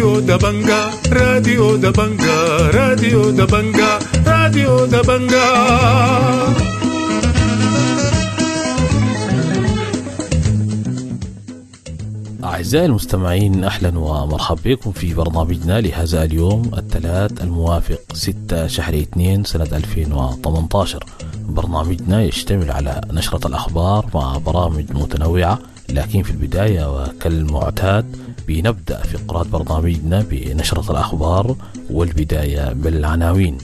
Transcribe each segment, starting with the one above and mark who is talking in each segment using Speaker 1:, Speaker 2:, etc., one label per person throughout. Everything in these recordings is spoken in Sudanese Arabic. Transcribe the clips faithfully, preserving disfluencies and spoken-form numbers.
Speaker 1: راديو دبنجا راديو دبنجا راديو دبنجا راديو دبنجا.
Speaker 2: أعزائي المستمعين، أهلا ومرحبا بكم في برنامجنا لهذا اليوم الثلاث الموافق ستة شهر اثنين سنة ألفين وثمانية عشر. برنامجنا يشتمل على نشرة الأخبار مع برامج متنوعة، لكن في البداية وكالمعتاد بنبدأ فقرات برنامجنا بنشرة الأخبار، والبداية بالعناوين.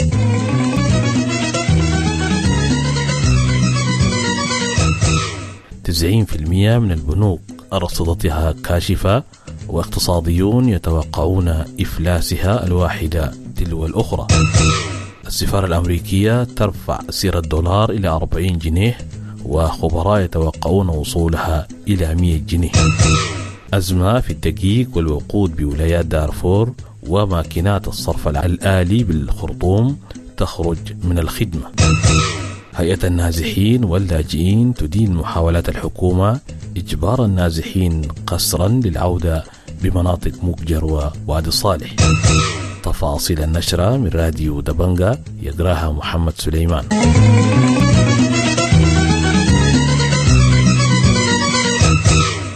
Speaker 2: تسعين في المئة من البنوك أرصدتها كاشفة، واقتصاديون يتوقعون إفلاسها الواحدة تلو الأخرى. السفارة الأمريكية ترفع سعر الدولار إلى أربعين جنيه، وخبراء يتوقعون وصولها إلى مئة جنيه. أزمة في الدقيق والوقود بولايات دارفور، وماكينات الصرف الآلي بالخرطوم تخرج من الخدمة. هيئة النازحين واللاجئين تدين محاولات الحكومة إجبار النازحين قسرا للعودة بمناطق مكجر ووادي صالح. تفاصيل النشرة من راديو دبنجا يقراها محمد سليمان.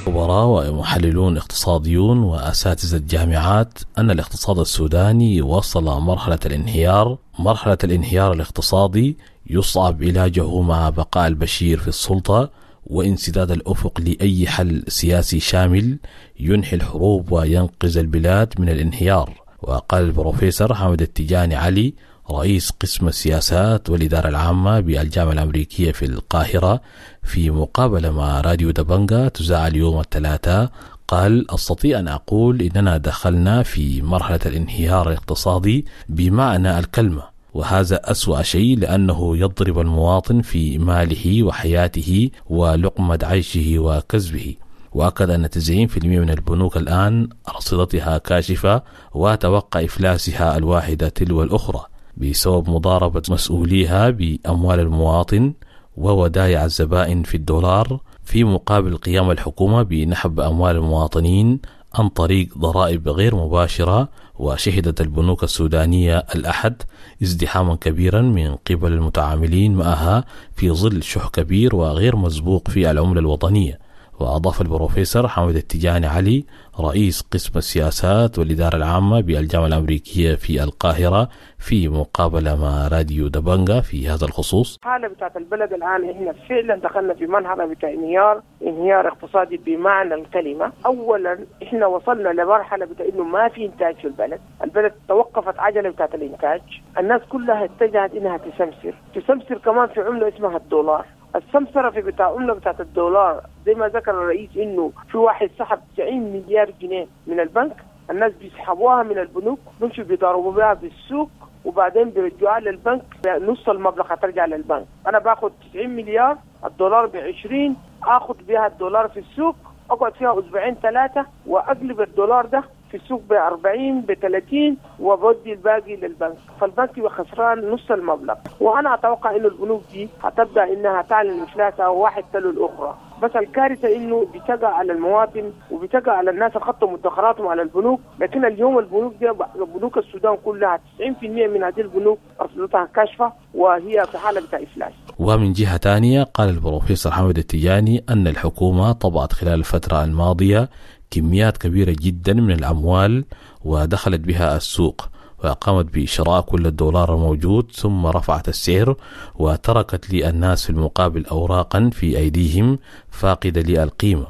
Speaker 2: خبراء ومحللون اقتصاديون وأساتذة الجامعات أن الاقتصاد السوداني وصل مرحلة الانهيار، مرحلة الانهيار الاقتصادي يصعب علاجه مع بقاء البشير في السلطة وانسداد الأفق لأي حل سياسي شامل ينهي الحروب وينقذ البلاد من الانهيار. وقال البروفيسور حامد التجاني علي رئيس قسم السياسات والإدارة العامة بالجامعة الأمريكية في القاهرة في مقابلة مع راديو دبنجا تذاع اليوم الثلاثاء، قال: أستطيع أن أقول إننا دخلنا في مرحلة الانهيار الاقتصادي بمعنى الكلمة، وهذا أسوأ شيء لأنه يضرب المواطن في ماله وحياته ولقمة عيشه وكسبه. وأكد أن تسعين بالمئة من البنوك الآن أرصدتها كاشفة وتوقع إفلاسها الواحدة تلو الأخرى بسبب مضاربة مسؤوليها بأموال المواطن وودائع الزبائن في الدولار، في مقابل قيام الحكومة بنحب أموال المواطنين عن طريق ضرائب غير مباشرة. وشهدت البنوك السودانية الأحد ازدحاما كبيرا من قبل المتعاملين معها في ظل شح كبير وغير مسبوق في العملة الوطنية. وأضاف البروفيسور حامد التجاني علي رئيس قسم السياسات والإدارة العامة بالجامعة الأمريكية في القاهرة في مقابلة مع راديو دبنجا في هذا الخصوص:
Speaker 3: الحالة بتاعت البلد الآن إحنا فعلا دخلنا في مرحلة بتاع انهيار، انهيار اقتصادي بمعنى الكلمة. أولا إحنا وصلنا لمرحلة بتاع إنه ما في إنتاج في البلد، البلد توقفت عجلة بتاعت الإنتاج، الناس كلها اتجهت إنها تسمسر، تسمسر كمان في عملة اسمها الدولار. السمسرة في بتاع عملة بتاعت الدولار زي ما ذكر الرئيس إنه في واحد سحب تسعين مليار جنيه من البنك، الناس بيسحبوها من البنوك بيمشوا بيضربوا بها بالسوق وبعدين بيرجعوها للبنك، نص المبلغ هترجع للبنك. أنا باخد تسعين مليار، الدولار بعشرين، آخد بها الدولار في السوق، أقعد فيها أسبوعين ثلاثة وأقلب الدولار ده في السوق بأربعين بثلاثين وبودي الباقي للبنك، فالبنك يبقى خسران نص المبلغ. وأنا أتوقع إنه البنوك دي هتبدأ إنها تعلن إفلاسها واحد تلو الأخرى. بس الكارثة إنه بتقع على المواطن وبتقع على الناس اللي خطوا مدخراتهم على البنوك. لكن اليوم البنوك دي، بنوك السودان كلها تسعين بالمئة من هذه البنوك أرصدتها كاشفة وهي في حالة بتاع إفلاس.
Speaker 2: ومن جهة ثانية قال البروفيسور حامد التجاني أن الحكومة طبعت خلال الفترة الماضية كميات كبيرة جدا من الأموال ودخلت بها السوق، وقامت بشراء كل الدولار الموجود ثم رفعت السعر وتركت للناس في المقابل أوراقا في أيديهم فاقدة للقيمة.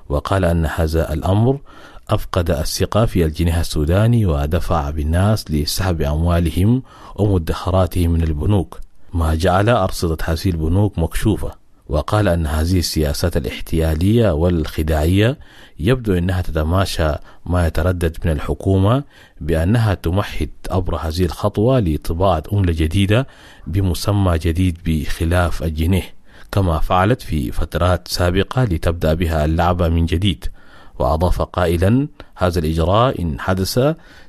Speaker 2: وقال أن هذا الأمر أفقد الثقة في الجنيه السوداني ودفع بالناس لسحب أموالهم ومدخراتهم من البنوك، ما جعل أرصدة هذه البنوك مكشوفة. وقال أن هذه السياسات الاحتيالية والخداعية يبدو أنها تتماشى ما يتردد من الحكومة بأنها تمهد عبر هذه الخطوة لطباعة عملة جديدة بمسمى جديد بخلاف الجنيه، كما فعلت في فترات سابقة لتبدأ بها اللعبة من جديد. وأضاف قائلا: هذا الإجراء إن حدث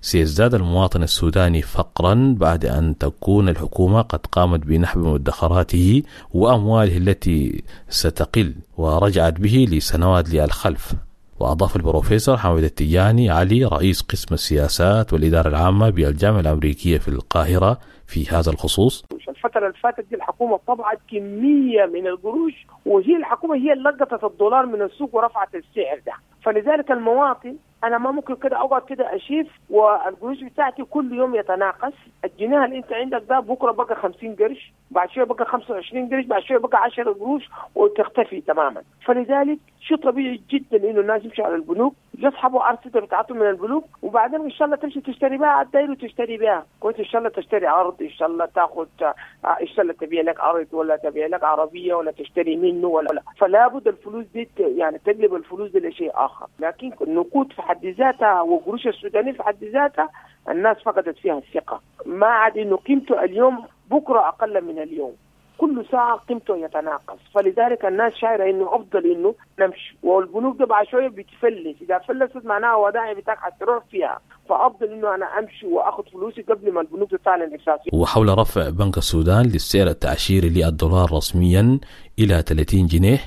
Speaker 2: سيزداد المواطن السوداني فقرا بعد أن تكون الحكومة قد قامت بنحب مدخراته وأمواله التي ستقل ورجعت به لسنوات للخلف. وأضاف البروفيسور حامد التجاني علي رئيس قسم السياسات والإدارة العامة بالجامعة الأمريكية في القاهرة في هذا الخصوص:
Speaker 3: الفترة اللي فاتت دي الحكومة طبعت كمية من القروش، وهي الحكومة هي اللي لقطت الدولار من السوق ورفعت السعر ده. فلذلك المواطن أنا ما ممكن كده أقعد كده أشيف والقروش بتاعتي كل يوم يتناقص. الجنيه اللي أنت عندك ده بكرة بقى خمسين قرش، بعد شوية بقى خمسة وعشرين قرش، بعد شوية بقى عشرة قروش وتختفي تماما. فلذلك شيء طبيعي جدا إنه الناس يمشوا على البنوك يسحبوا أرصدة بتاعتهم من البنوك، وبعدين إن شاء الله تمشي تشتري بها على الداير وتشتري بها كويس، إن شاء الله تشتري أرض، إن شاء الله تاخذ، إن شاء الله تبيع لك أرض ولا تبيع لك عربية ولا تشتري منه ولا لا. فلا بد الفلوس دي يعني تقلب الفلوس دي لشيء آخر. لكن النقود في حد ذاتها وقروش السودانية في حد ذاتها الناس فقدت فيها الثقة، ما عاد إنه قيمته اليوم بكرة أقل من اليوم، كل ساعة قيمته يتناقص. فلذلك الناس شايرة إنه أفضل إنه نمشي، والبنوك ده بعد شوية بتفلس، إذا فلست معناها ودائع بتاعك حتروح فيها، فأفضل إنه أنا أمشي وأخذ فلوسي قبل ما البنوك تعلن إفلاسها.
Speaker 2: وحول رفع بنك السودان للسعر التعشيري للدولار رسميا إلى ثلاثين جنيه،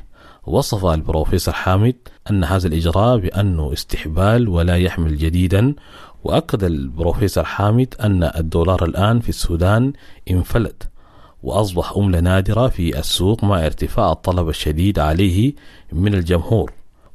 Speaker 2: وصف البروفيسور حامد أن هذا الإجراء بأنه استحبال ولا يحمل جديدا. وأكد البروفيسور حامد أن الدولار الآن في السودان انفلت وأصبح عملة نادرة في السوق مع ارتفاع الطلب الشديد عليه من الجمهور.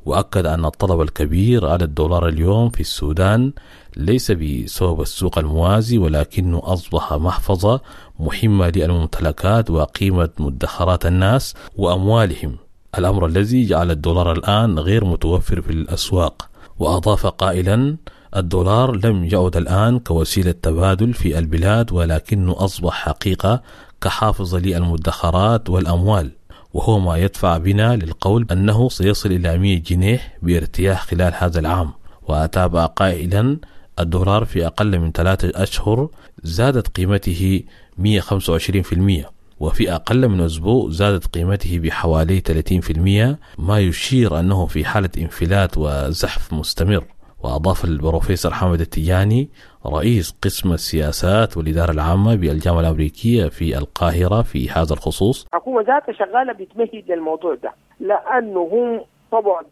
Speaker 2: وأكد أن الطلب الكبير على الدولار اليوم في السودان ليس بسبب السوق الموازي، ولكنه أصبح محفظة مهمة للممتلكات وقيمة مدخرات الناس وأموالهم، الأمر الذي جعل الدولار الآن غير متوفر في الأسواق. وأضاف قائلا: الدولار لم يعد الآن كوسيلة تبادل في البلاد، ولكنه أصبح حقيقة كحافظ للمدخرات والأموال، وهو ما يدفع بنا للقول أنه سيصل إلى مئة جنيه بارتياح خلال هذا العام. وأتابع قائلا: الدولار في أقل من ثلاثة أشهر زادت قيمته مئة وخمسة وعشرين بالمئة، وفي أقل من أسبوع زادت قيمته بحوالي ثلاثين بالمئة، ما يشير أنه في حالة انفلات وزحف مستمر. وأضاف البروفيسور حامد التجاني رئيس قسم السياسات والإدارة العامة بالجامعة الأمريكية في القاهرة في هذا الخصوص:
Speaker 3: الحكومة ذاتها شغالة بتمهد للموضوع ده، لأنه هم طبعا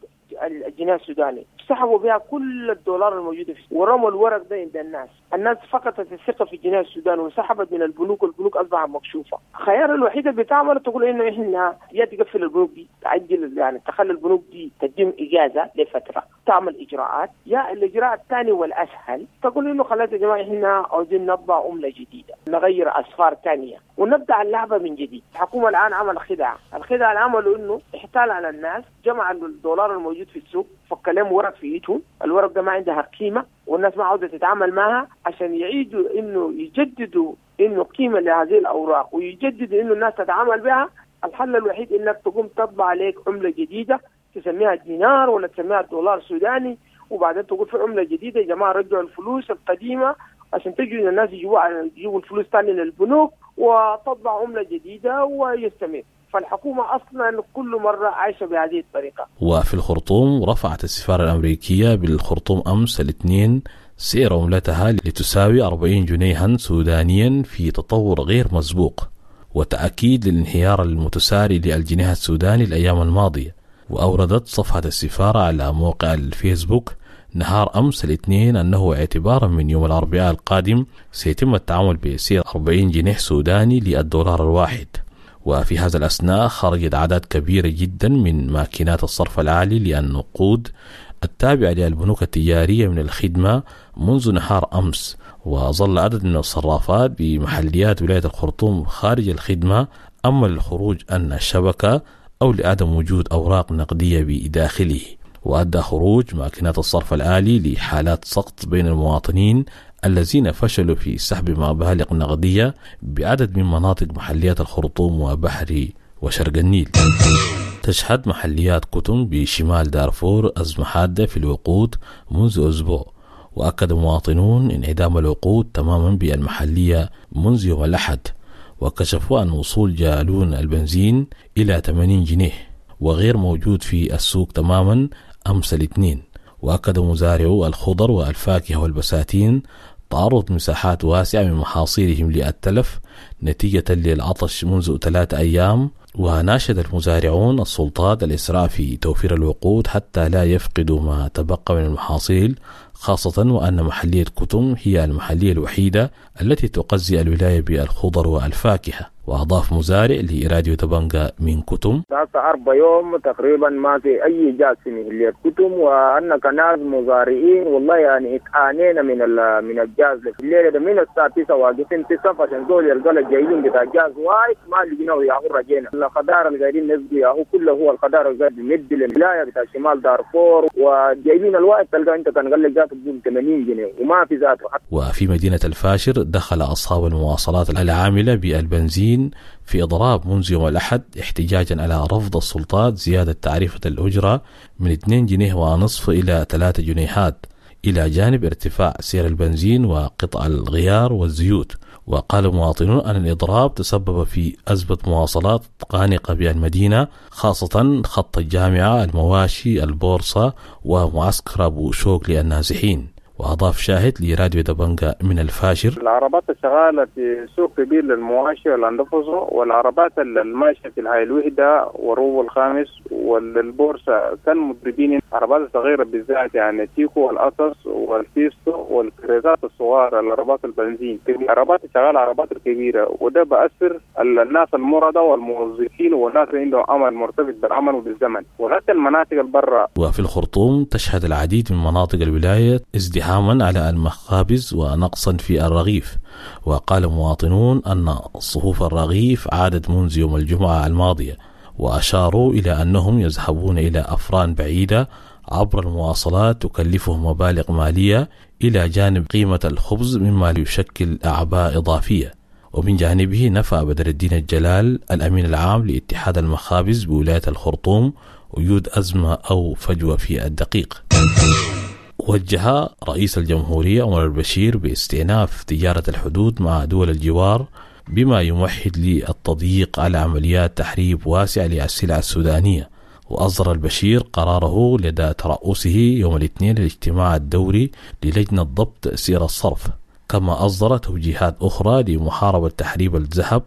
Speaker 3: الجنيه السوداني سحبوا بها كل الدولار الموجود فيه ورموا الورق ده عند الناس. الناس فقدت الثقة في الجنيه السوداني وسحبت من البنوك، والبنوك أصبحت مكشوفة. الخيار الوحيد اللي بتعمله تقول إنه إحنا يا تقفل البنوك دي، تعجل يعني تخلي البنوك دي تديهم إجازة لفترة تعمل إجراءات، يا الإجراء الثاني والأسهل تقول إنه خلاص يا جماعة إحنا عاوزين نطبع عملة جديدة، نغير أسفار ثانية ونبدأ اللعبة من جديد. الحكومة الآن عمل خدعة، الخدعة اللي عملوا إنه احتال على الناس، جمع الدولار الموجود في السوق، فك لهم ورق في ايدهم، الورق ده ما عندها قيمة والناس ما عاوزة تتعامل معها، عشان يعيدوا إنه يجددوا إنه قيمة لهذه الأوراق ويجددوا إنه الناس تتعامل بها. الحل الوحيد إنك تقوم تطبع عليك عملة جديدة تسميها دينار ولا تسميها دولار سوداني، وبعدين تقول في عملة جديدة يا جماعة رجعوا الفلوس القديمة عشان تجوا الناس يجيبوا يجيبوا الفلوس ثاني للبنوك وتطبع عملة جديدة ويستمر. فالحكومة أصلا كل مرة عايشة بهذه الطريقة.
Speaker 2: وفي الخرطوم رفعت السفارة الأمريكية بالخرطوم أمس الاثنين سعر عملتها لتساوي أربعين جنيها سودانيا في تطور غير مسبوق وتأكيد للانهيار المتساري للجنيه السوداني الأيام الماضية. وأوردت صفحة السفارة على موقع الفيسبوك نهار أمس الاثنين أنه اعتبارا من يوم الأربعاء القادم سيتم التعامل بسعر أربعين جنيه سوداني للدولار الواحد. وفي هذا الأثناء خرجت أعداد كبيرة جدا من ماكينات الصرف العالي للنقود التابعة للبنوك التجارية من الخدمة منذ نهار أمس، وظل عدد من الصرافات بمحليات ولاية الخرطوم خارج الخدمة، أما للخروج أن الشبكة أو لعدم وجود أوراق نقدية بداخله. وأدى خروج ماكينات الصرف الآلي لحالات سقط بين المواطنين الذين فشلوا في سحب مبالغ نقدية بعدد من مناطق محليات الخرطوم وبحري وشرق النيل. تشهد محليات كتم بشمال دارفور أزمة حادة في الوقود منذ أسبوع، وأكد مواطنون انعدام الوقود تماما بالمحلية منذ يوم الأحد، وكشفوا أن وصول جالون البنزين إلى ثمانين جنيه وغير موجود في السوق تماما أمس الاثنين. وأكد مزارعو الخضر والفاكهة والبساتين تعرض مساحات واسعة من محاصيلهم للتلف نتيجة للعطش منذ ثلاثة أيام، وناشد المزارعون السلطات الإسراع في توفير الوقود حتى لا يفقدوا ما تبقى من المحاصيل، خاصة وأن محلية كتم هي المحلية الوحيدة التي تغذي الولاية بالخضر والفاكهة. وأضاف مزارع لراديو دبنجا من كتم:
Speaker 4: أربع يوم تقريبا ما في أي جاز في محلية كتم، وأن كناس مزارعين والله يعني اتعانينا من من الجاز في الليلة ده، من الساعة تسعة واقفين في صف عشان زول يلقى الجايين بتاع الجاز وايد ما لقيناه ياهو رجينا. الخضار اللي قاعدين نسقي ياهو كله هو الخضار اللي قاعد بيمد للولاية بتاع شمال دارفور، وجايبين الواحد تلقى أنت كان قال لك ذاته بقول ثمانين جنيه وما في ذاته.
Speaker 2: وفي مدينة الفاشر دخل أصحاب المواصلات العاملة بالبنزين في إضراب منذ يوم الأحد احتجاجا على رفض السلطات زيادة تعريفة الأجرة من اثنين جنيه ونصف إلى ثلاثة جنيهات، إلى جانب ارتفاع سعر البنزين وقطع الغيار والزيوت. وقال المواطنون أن الإضراب تسبب في أزمة مواصلات خانقة بالمدينة، خاصة خط الجامعة، المواشي، البورصة ومعسكر أبو شوك للنازحين. وأضاف شاهد لراديو دبنجا من الفاشر:
Speaker 5: العربات الشغالة في سوق كبير للمواشي والأندفوزو، والعربات الماشية في الهاي الوحدة والروب الخامس والبورصة كان مضربين. العربات الصغيرة بالذات يعني تيكو والأطس والفيستو والكريزات الصغار، العربات البنزين، العربات الشغالة العربات الكبيرة، وده بأثر الناس المرضى والموظفين والناس اللي عندهم عمل مرتبط بالعمل وبالزمن، وحتى المناطق البرة.
Speaker 2: وفي الخرطوم تشهد العديد من مناطق الولاية ازدحاما على المخابز ونقصا في الرغيف. وقال مواطنون أن صفوف الرغيف عادت منذ يوم الجمعة الماضية، وأشاروا إلى أنهم يذهبون إلى أفران بعيدة عبر المواصلات تكلفهم مبالغ مالية إلى جانب قيمة الخبز، مما يشكل أعباء إضافية. ومن جانبه نفى بدر الدين الجلال الأمين العام لاتحاد المخابز بولاية الخرطوم وجود أزمة أو فجوة في الدقيق. وجه رئيس الجمهورية عمر البشير باستئناف تجارة الحدود مع دول الجوار بما يمهد للتضييق على عمليات تحريب واسعة للسلع السودانية. وأصدر البشير قراره لدى ترأسه يوم الاثنين الاجتماع الدوري للجنة ضبط سعر الصرف، كما أصدر توجيهات أخرى لمحاربة تحريب الذهب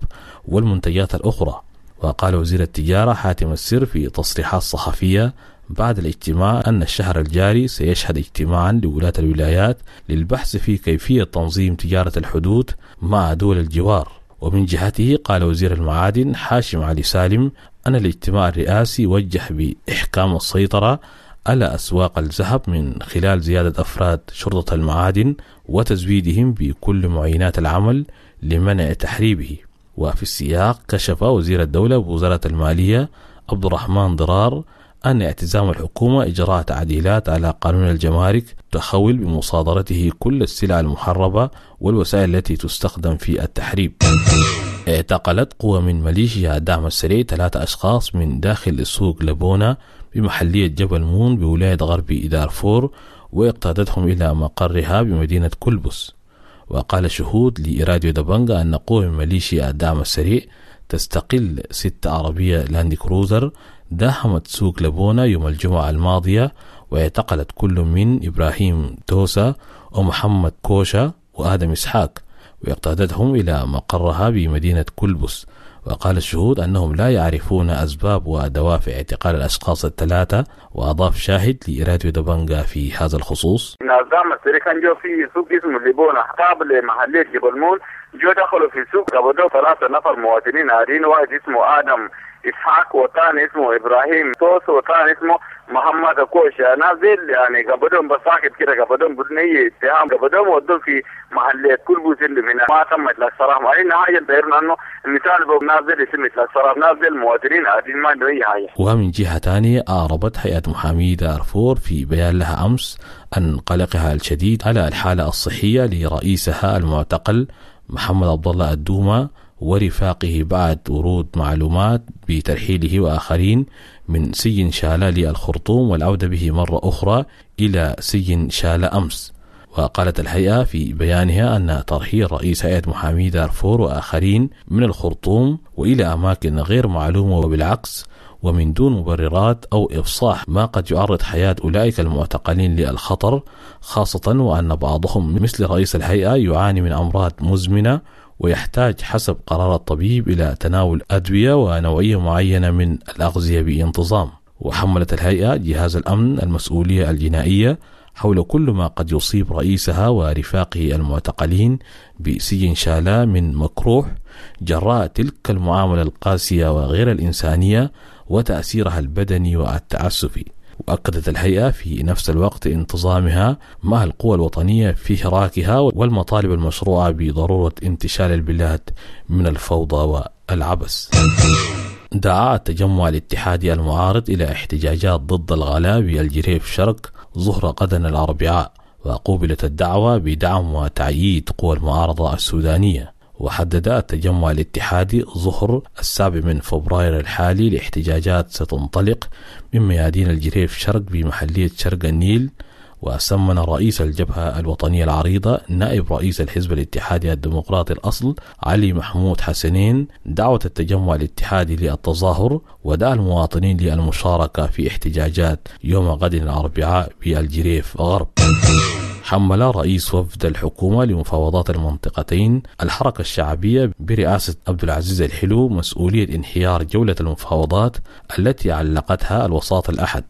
Speaker 2: والمنتجات الأخرى. وقال وزير التجارة حاتم السر في تصريحات صحفية بعد الاجتماع أن الشهر الجاري سيشهد اجتماعا لولاة الولايات للبحث في كيفية تنظيم تجارة الحدود مع دول الجوار. ومن جهته قال وزير المعادن حاشم علي سالم أن الاجتماع الرئاسي وجه بإحكام السيطرة على أسواق الذهب من خلال زيادة أفراد شرطة المعادن وتزويدهم بكل معينات العمل لمنع تحريبه. وفي السياق كشف وزير الدولة بوزارة المالية عبد الرحمن ضرار أن اعتزام الحكومة إجراء تعديلات على قانون الجمارك تخول بمصادرته كل السلع المحربة والوسائل التي تستخدم في التحريب. اعتقلت قوة من ميليشيا الدعم السريع ثلاثة أشخاص من داخل سوق لبونة بمحلية جبل مون بولاية غرب دارفور واقتادتهم إلى مقرها بمدينة كلبس. وقال شهود لراديو دبنجا أن قوة من ميليشيا الدعم السريع تستقل ست عربية لاند كروزر داهمت سوق لبونة يوم الجمعة الماضية، واعتقلت كل من إبراهيم توسا ومحمد كوشا وآدم إسحاق واقتادتهم إلى مقرها بمدينة كلبس. وقال الشهود أنهم لا يعرفون أسباب ودوافع اعتقال الأشخاص الثلاثة. وأضاف شاهد لراديو دبنجا في هذا الخصوص:
Speaker 5: نظام السري كان جو في سوق اسمه ليبونا قابل محلية جبل مون، جو دخلوا في السوق قبضوا ثلاثة نفر مواطنين عاديين، واحد اسمه آدم إسحاق وثاني اسمه إبراهيم توس وثاني اسمه محمد كوشا. نازل يعني قبضهم بساكت كده، قبضهم بدون أي اتهام، قبضهم ودوهم في محلية كلبس اللي من ما تم إطلاق سراح. مع إن حاجة دايرنا إنه المثال نازل يتم إطلاق سراح، نازل مواطنين عاديين ما عندهم أي حاجة.
Speaker 2: ومن جهة ثانية أعربت هيئة محامي دارفور في بيان لها أمس عن قلقها الشديد على الحالة الصحية لرئيسها المعتقل محمد عبد الله الدومة ورفاقه بعد ورود معلومات بترحيله وآخرين من سجن شالة للخرطوم والعودة به مرة أخرى إلى سجن شالة أمس. وقالت الهيئة في بيانها أن ترحيل رئيس هيئة محامي دارفور وآخرين من الخرطوم وإلى أماكن غير معلومة وبالعكس ومن دون مبررات أو إفصاح ما قد يعرض حياة أولئك المعتقلين للخطر، خاصة وأن بعضهم مثل رئيس الهيئة يعاني من أمراض مزمنة ويحتاج حسب قرار الطبيب إلى تناول أدوية ونوعية معينة من الأغذية بانتظام. وحملت الهيئة جهاز الأمن المسؤولية الجنائية حول كل ما قد يصيب رئيسها ورفاقه المعتقلين بسجن شالا من مكروه جراء تلك المعاملة القاسية وغير الإنسانية وتأثيرها البدني والتعسفي. وأكدت الهيئة في نفس الوقت انتظامها مع القوى الوطنية في حراكها والمطالب المشروعة بضرورة انتشال البلاد من الفوضى والعبث. دعا التجمع الاتحادي المعارض إلى احتجاجات ضد الغلاء بالجريف شرق ظهر غدا الأربعاء، وقوبلت الدعوة بدعم وتأييد قوى المعارضة السودانية. وحدد التجمع الاتحادي ظهر السابع من فبراير الحالي لاحتجاجات ستنطلق من ميادين الجريف شرق بمحلية شرق النيل. وسمن رئيس الجبهة الوطنية العريضة نائب رئيس الحزب الاتحادي الديمقراطي الأصل علي محمود حسنين دعوة التجمع الاتحادي للتظاهر، ودعا المواطنين للمشاركة في احتجاجات يوم غد الأربعاء بالجريف غرب. حمل رئيس وفد الحكومة لمفاوضات المنطقتين الحركة الشعبية برئاسة عبد العزيز الحلو مسؤولية انهيار جولة المفاوضات التي علقتها الوساطة الأحد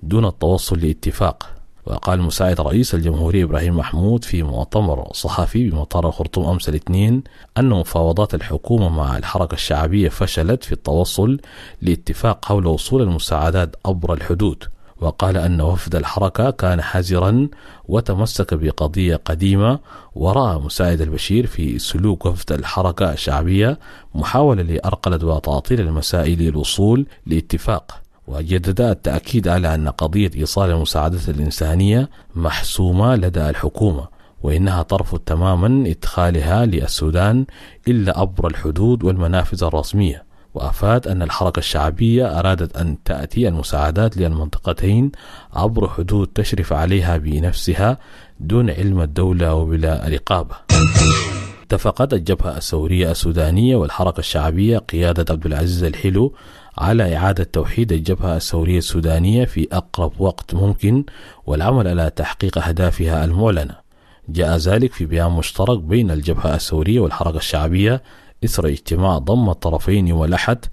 Speaker 2: دون التوصل لاتفاق. وقال مساعد رئيس الجمهورية إبراهيم محمود في مؤتمر صحفي بمطار الخرطوم أمس الاثنين أن مفاوضات الحكومة مع الحركة الشعبية فشلت في التوصل لاتفاق حول وصول المساعدات عبر الحدود. وقال أن وفد الحركة كان حذرا وتمسك بقضية قديمة، ورأى مساعد البشير في سلوك وفد الحركة الشعبية محاولة لأرقلة وتعطيل المسائل للوصول لاتفاق. وجدد التأكيد على أن قضية إيصال المساعدات الإنسانية محسومة لدى الحكومة، وإنها ترفض تماما إدخالها للسودان إلا عبر الحدود والمنافذ الرسمية. وأفاد أن الحركة الشعبية أرادت أن تأتي المساعدات للمنطقتين عبر حدود تشرف عليها بنفسها دون علم الدولة وبلا رقابة. اتفقت الجبهة الثورية السودانية والحركة الشعبية قيادة عبد العزيز الحلو على إعادة توحيد الجبهة الثورية السودانية في أقرب وقت ممكن والعمل على تحقيق أهدافها المعلنة. جاء ذلك في بيان مشترك بين الجبهة الثورية والحركة الشعبية إثر اجتماع ضم الطرفين يوم الأحد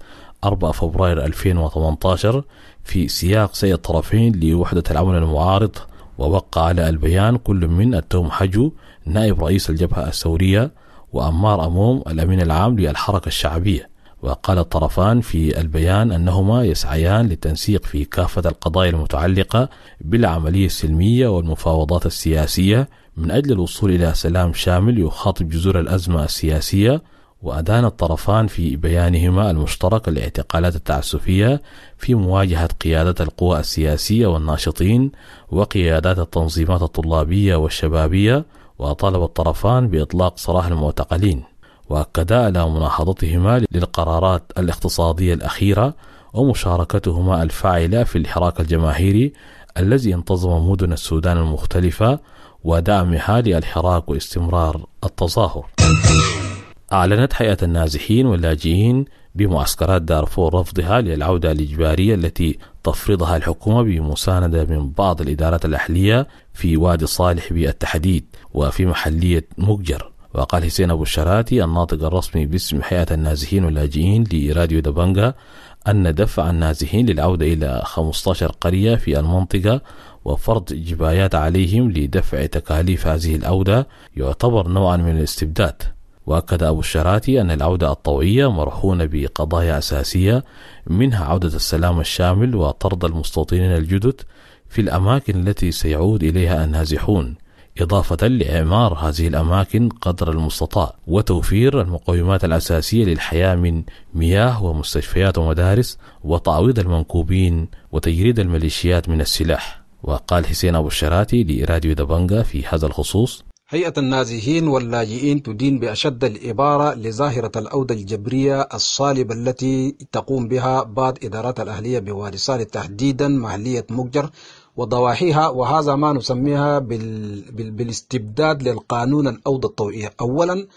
Speaker 2: أربعة فبراير ألفين وثمانية عشر في سياق سعي الطرفين لوحدة العمل المعارض. ووقع على البيان كل من التوم حجو نائب رئيس الجبهة الثورية وأمار أموم الأمين العام للحركة الشعبية. وقال الطرفان في البيان أنهما يسعيان للتنسيق في كافة القضايا المتعلقة بالعملية السلمية والمفاوضات السياسية من أجل الوصول إلى سلام شامل يخاطب جذور الأزمة السياسية. وأدان الطرفان في بيانهما المشترك الاعتقالات التعسفية في مواجهة قيادة القوى السياسية والناشطين وقيادات التنظيمات الطلابية والشبابية، وطالب الطرفان بإطلاق سراح المعتقلين. وأكدا على مناهضتهما للقرارات الاقتصادية الأخيرة ومشاركتهما الفاعلة في الحراك الجماهيري الذي انتظم مدن السودان المختلفة ودعمها للحراك واستمرار التظاهر. أعلنت هيئة النازحين واللاجئين بمعسكرات دارفور رفضها للعودة الإجبارية التي تفرضها الحكومة بمساندة من بعض الإدارات الأهلية في وادي صالح بالتحديد وفي محلية مقجر. وقال حسين أبو الشراتي الناطق الرسمي باسم هيئة النازحين واللاجئين لراديو دبنجا أن دفع النازحين للعودة إلى خمسة عشر قرية في المنطقة وفرض جبايات عليهم لدفع تكاليف هذه العودة يعتبر نوعا من الاستبداد. وأكد أبو الشراتي أن العودة الطوعية مرهونة بقضايا أساسية منها عودة السلام الشامل وطرد المستوطنين الجدد في الأماكن التي سيعود إليها النازحون، إضافة لإعمار هذه الأماكن قدر المستطاع وتوفير المقومات الأساسية للحياة من مياه ومستشفيات ومدارس وتعويض المنكوبين وتجريد الميليشيات من السلاح. وقال حسين أبو الشراتي لراديو دبنجا في هذا الخصوص:
Speaker 6: هيئة النازحين واللاجئين تدين بأشد العبارة لظاهرة العودة الجبرية الصالبة التي تقوم بها بعض إدارات الأهلية بوادي صالح تحديدا محلية مقجر وضواحيها، وهذا ما نسميها بال... بال... بالاستبداد للقانون العودة الطوعية. أولا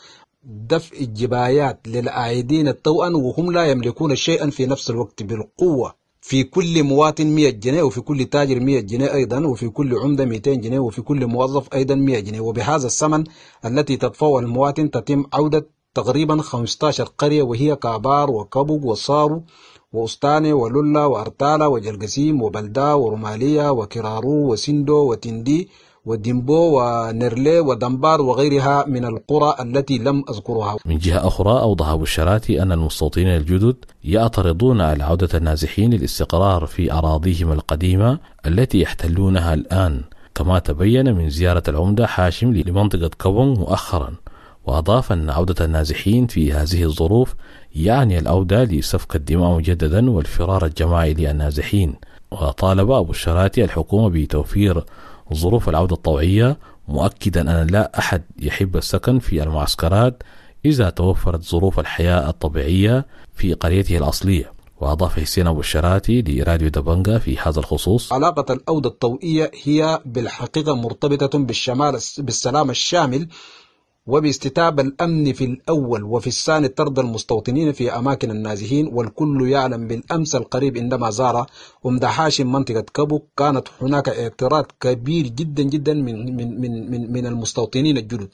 Speaker 6: دفع الجبايات للعائدين الطوعا وهم لا يملكون شيئا في نفس الوقت بالقوة، في كل مواطن مئة جنيه وفي كل تاجر مئة جنيه أيضا وفي كل عمدة مئتين جنيه وفي كل موظف أيضا مئة جنيه، وبهذا الثمن التي تدفعه المواطن تتم عودة تقريبا خمستاشر قرية، وهي كابار وكبوك وصارو وأستاني ولولا وأرتالا وجلقسيم وبلدا ورمالية وكرارو وسندو وتندي وديمبو ونرلي ودنبار وغيرها من القرى التي لم أذكرها.
Speaker 2: من جهة أخرى أوضح أبو الشراتي أن المستوطنين الجدد يعترضون على عودة النازحين للاستقرار في أراضيهم القديمة التي يحتلونها الآن، كما تبين من زيارة العمدة حاشم لمنطقة كوبونغ مؤخرا. وأضاف أن عودة النازحين في هذه الظروف يعني العودة لسفك الدماء مجددا والفرار الجماعي للنازحين. وطالب أبو الشراتي الحكومة بتوفير ظروف العودة الطوعية، مؤكدا أن لا أحد يحب السكن في المعسكرات إذا توفرت ظروف الحياة الطبيعية في قريته الأصلية. وأضاف حسين أبو الشراتي لراديو دبنجا في هذا الخصوص:
Speaker 6: علاقة العودة الطوعية هي بالحقيقة مرتبطة بالشمال بالسلام الشامل وباستتاب الأمن في الأول، وفي الثاني طرد المستوطنين في أماكن النازحين. والكل يعلم بالأمس القريب عندما زار عمدة حاشم منطقة كابوك كانت هناك اعتراض كبير جدا جدا من من من من, من المستوطنين الجدد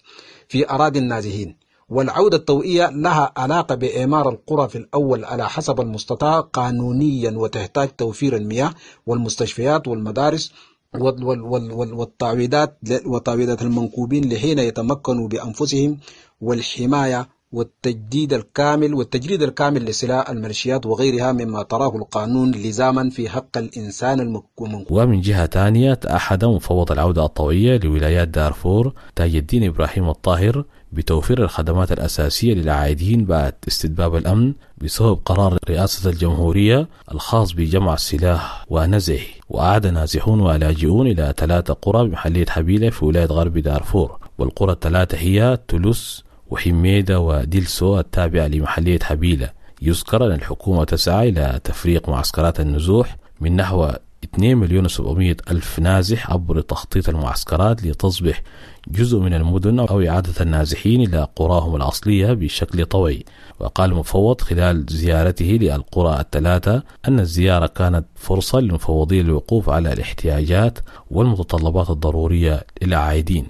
Speaker 6: في أراضي النازحين. والعودة الطوعية لها علاقة بإعمار القرى في الأول على حسب المستطاع قانونيا، وتحتاج توفير المياه والمستشفيات والمدارس والتعويضات وتعويضات المنكوبين لحين يتمكنوا بأنفسهم، والحماية والتجديد الكامل والتجريد الكامل لسلاح الميليشيات وغيرها مما تراه القانون لزاما في حق الإنسان المنكوب.
Speaker 2: ومن جهة ثانية تأحد مفوض العودة الطوعية لولايات دارفور تاج الدين إبراهيم الطاهر بتوفير الخدمات الأساسية للعائدين بعد استتباب الأمن بسبب قرار رئاسة الجمهورية الخاص بجمع السلاح ونزعه. وأعاد نازحون ولاجئون إلى ثلاثة قرى بمحلية حبيلة في ولاية غرب دارفور، والقرى الثلاثة هي تولوس وحميدة وديلسو التابعة لمحلية حبيلة. يذكر أن الحكومة تسعى إلى تفريق معسكرات النزوح من نحو اثنين مليون وسبعمائة ألف نازح عبر تخطيط المعسكرات لتصبح جزء من المدن أو إعادة النازحين إلى قراهم الأصلية بشكل طوعي. وقال المفوض خلال زيارته للقرى الثلاثة أن الزيارة كانت فرصة للمفوضين للوقوف على الاحتياجات والمتطلبات الضرورية للعائدين.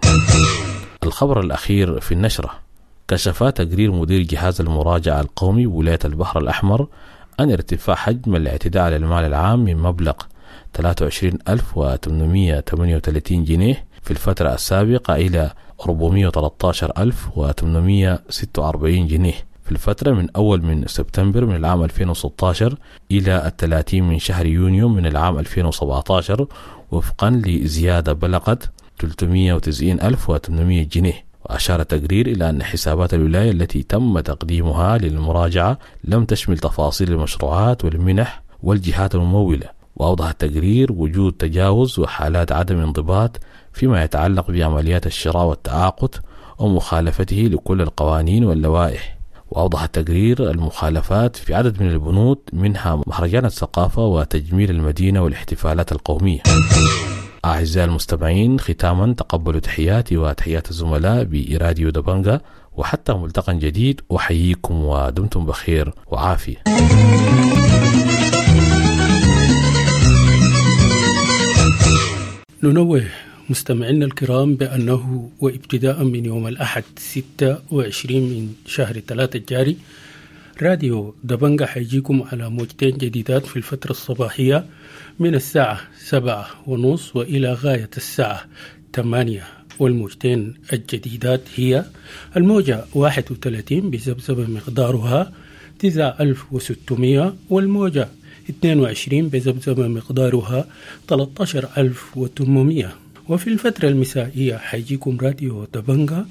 Speaker 2: الخبر الأخير في النشرة: كشف تقرير مدير جهاز المراجعة القومي بولاية البحر الأحمر أن ارتفاع حجم الاعتداء على المال العام من مبلغ ثلاثة وعشرين ألف وثمانمائة وثمانية وثلاثين جنيه في الفترة السابقة إلى أربعمائة وثلاثة عشر ألف وثمانمائة وستة وأربعين جنيه في الفترة من أول من سبتمبر من العام ألفين وستة عشر إلى الثلاثين من شهر يونيو من العام ألفين وسبعة عشر، وفقا لزيادة بلغت ثلاثمائة وتسعين ألف وثمانمائة جنيه. وأشار التقرير إلى أن حسابات الولاية التي تم تقديمها للمراجعة لم تشمل تفاصيل المشروعات والمنح والجهات الممولة. وأوضح التقرير وجود تجاوز وحالات عدم انضباط فيما يتعلق بعمليات الشراء والتعاقد ومخالفته لكل القوانين واللوائح. وأوضح التقرير المخالفات في عدد من البنود، منها مهرجان الثقافة وتجميل المدينة والاحتفالات القومية. أعزائي المستمعين، ختاما تقبلوا تحياتي وتحيات الزملاء بإراديو دبنجا، وحتى ملتقى جديد أحييكم ودمتم بخير وعافية.
Speaker 7: ننوه مستمعينا الكرام بأنه وابتداء من يوم الأحد ستة وعشرين من شهر ثلاثة الجاري راديو دبنجا حيجيكم على موجتين جديدات في الفترة الصباحية من الساعة سبعة ونص وإلى غاية الساعة ثمانية، والموجتين الجديدات هي الموجة واحد وثلاثين بذبذبة مقدارها تسعة ألف وستمائة، والموجة اثنين وعشرين بذبذبة مقدارها ثلاثة عشر ألف وثمانمائة. وفي الفترة المسائية حيجيكم راديو دبنجا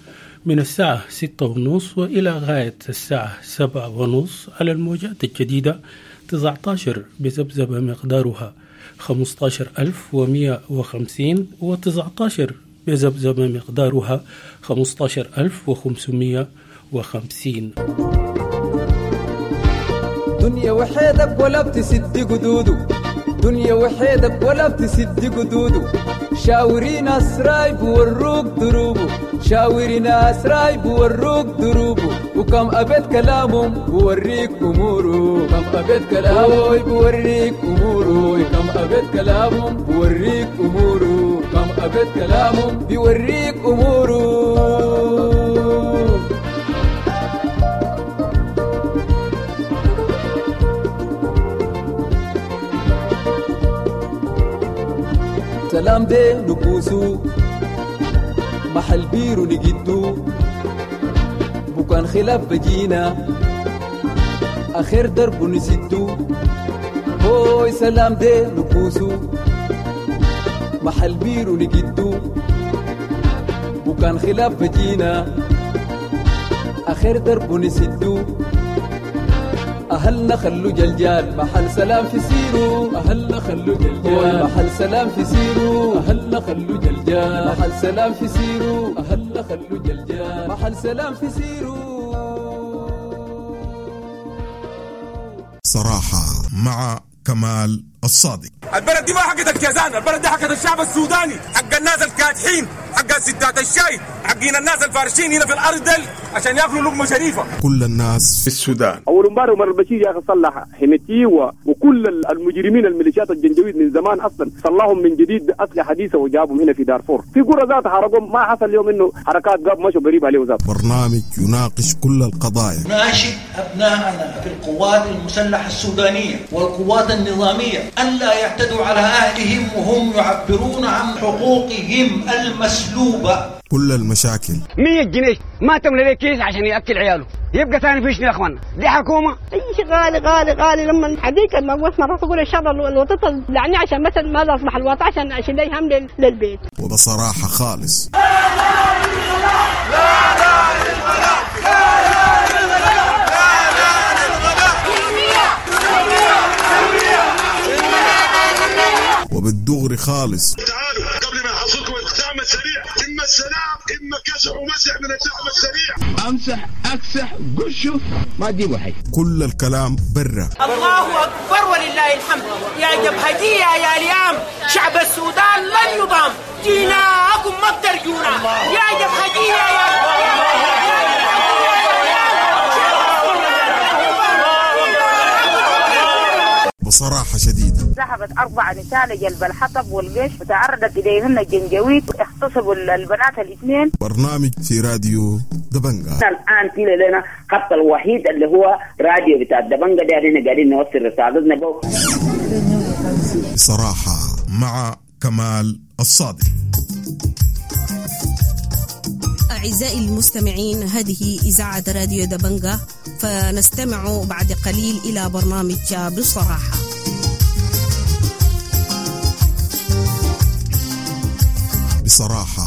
Speaker 7: من الساعة ستة ونص وإلى غاية الساعة سبعة ونص على الموجات الجديدة تسعة عشر بذبذبة مقدارها خمسة عشر ألف ومئة وخمسين، وتسعة عشر بذبذبة مقدارها خمسة عشر ألف وخمسمائة وخمسين.
Speaker 8: دنيا وحيدك ولا بتسد قدوده، دنيا وحيدك ولا بتسد قدوده، شاوري ناس رايب وروك دروبه، شاوري ناس رايب وروك دروبه، وكم أبيت كلامهم بوريك أموره، كم أبيت كلامهم بوريك أموره، كم أبيت كلامهم بوريك أموره، كم أبيت كلامهم بيوريك أموره. سلام دي نكوسو محل بيرو نجدو بكان خلاف بجينا آخر درب نسدو. هوي سلام دي نكوسو محل بيرو نجدو وكان خلاف بجينا آخر درب نسدو. أهلنا خلو جلجال محل سلام في سيرو، أهلنا خلو جلجال محل سلام في سيرو، أهلنا خلو جلجال محل سلام في سيرو، أهلنا خلو جلجال محل سلام في سيرو.
Speaker 1: صراحة مع كمال الصادق.
Speaker 9: البلد دي ما حقت الكيزان، البلد دي حقت الشعب السوداني، حق الناس الكادحين، حق ستات الشاي، حقين الناس الفارشين هنا في الارض دل عشان ياكلوا لقمه شريفه.
Speaker 1: كل الناس في السودان.
Speaker 10: اول امبارح عمر البشير يا اخي صلح حميتي وكل المجرمين الميليشيات الجنجويد من زمان اصلا صلحهم من جديد باسلحه حديثه وجابهم هنا في دارفور. في قرى ذات حرقهم، ما حصل اليوم انه حركات قاب مشوا قريب عليه ذات.
Speaker 1: برنامج يناقش كل القضايا.
Speaker 11: ناشد ابنائنا في القوات المسلحه السودانيه والقوات النظاميه الا يعتدوا على اهلهم وهم يعبرون عن حقوقهم المسلوبه.
Speaker 1: كل المشاكل.
Speaker 12: مية جنيه ما تملى ليه كيس عشان ياكل عياله، يبقى ثاني فيش يا اخوانا، دي حكومه.
Speaker 13: اي شيء غالي غالي غالي. لما حديك ما وقفت مرات اقول ان شاء الله الوطن لعني عشان مثلا ما اصبح الوطن عشان عشان لا يهم للبيت.
Speaker 1: وبصراحه خالص. وبالدغري خالص.
Speaker 14: تعالوا قبل ما يحصلكم الدعم السريع، اما السلام اما كسح ومسح من الدعم السريع.
Speaker 15: امسح اكسح قشه ما تجيبوا حي.
Speaker 1: كل الكلام برا.
Speaker 16: الله اكبر ولله الحمد. يا جبهجيه يا اليام، شعب السودان لن يضام، جيناكم ما بترجونا. يا جبهجيه يا
Speaker 1: بصراحة شديدة.
Speaker 17: ذهبت أربع نساء لجلب الحطب والقش وتعرضت إليهن الجنجويد، اغتصبوا البنات الاثنين.
Speaker 1: برنامج في راديو دبنجا.
Speaker 18: الآن في لنا خط الوحيد اللي هو راديو بتاع دبنجا ده، احنا قاعدين نوصل رسالتنا بو.
Speaker 1: بصراحة مع كمال الصادق.
Speaker 19: أعزائي المستمعين، هذه إذاعة راديو دبنجا، فنستمع بعد قليل إلى برنامج بصراحة.
Speaker 1: بصراحة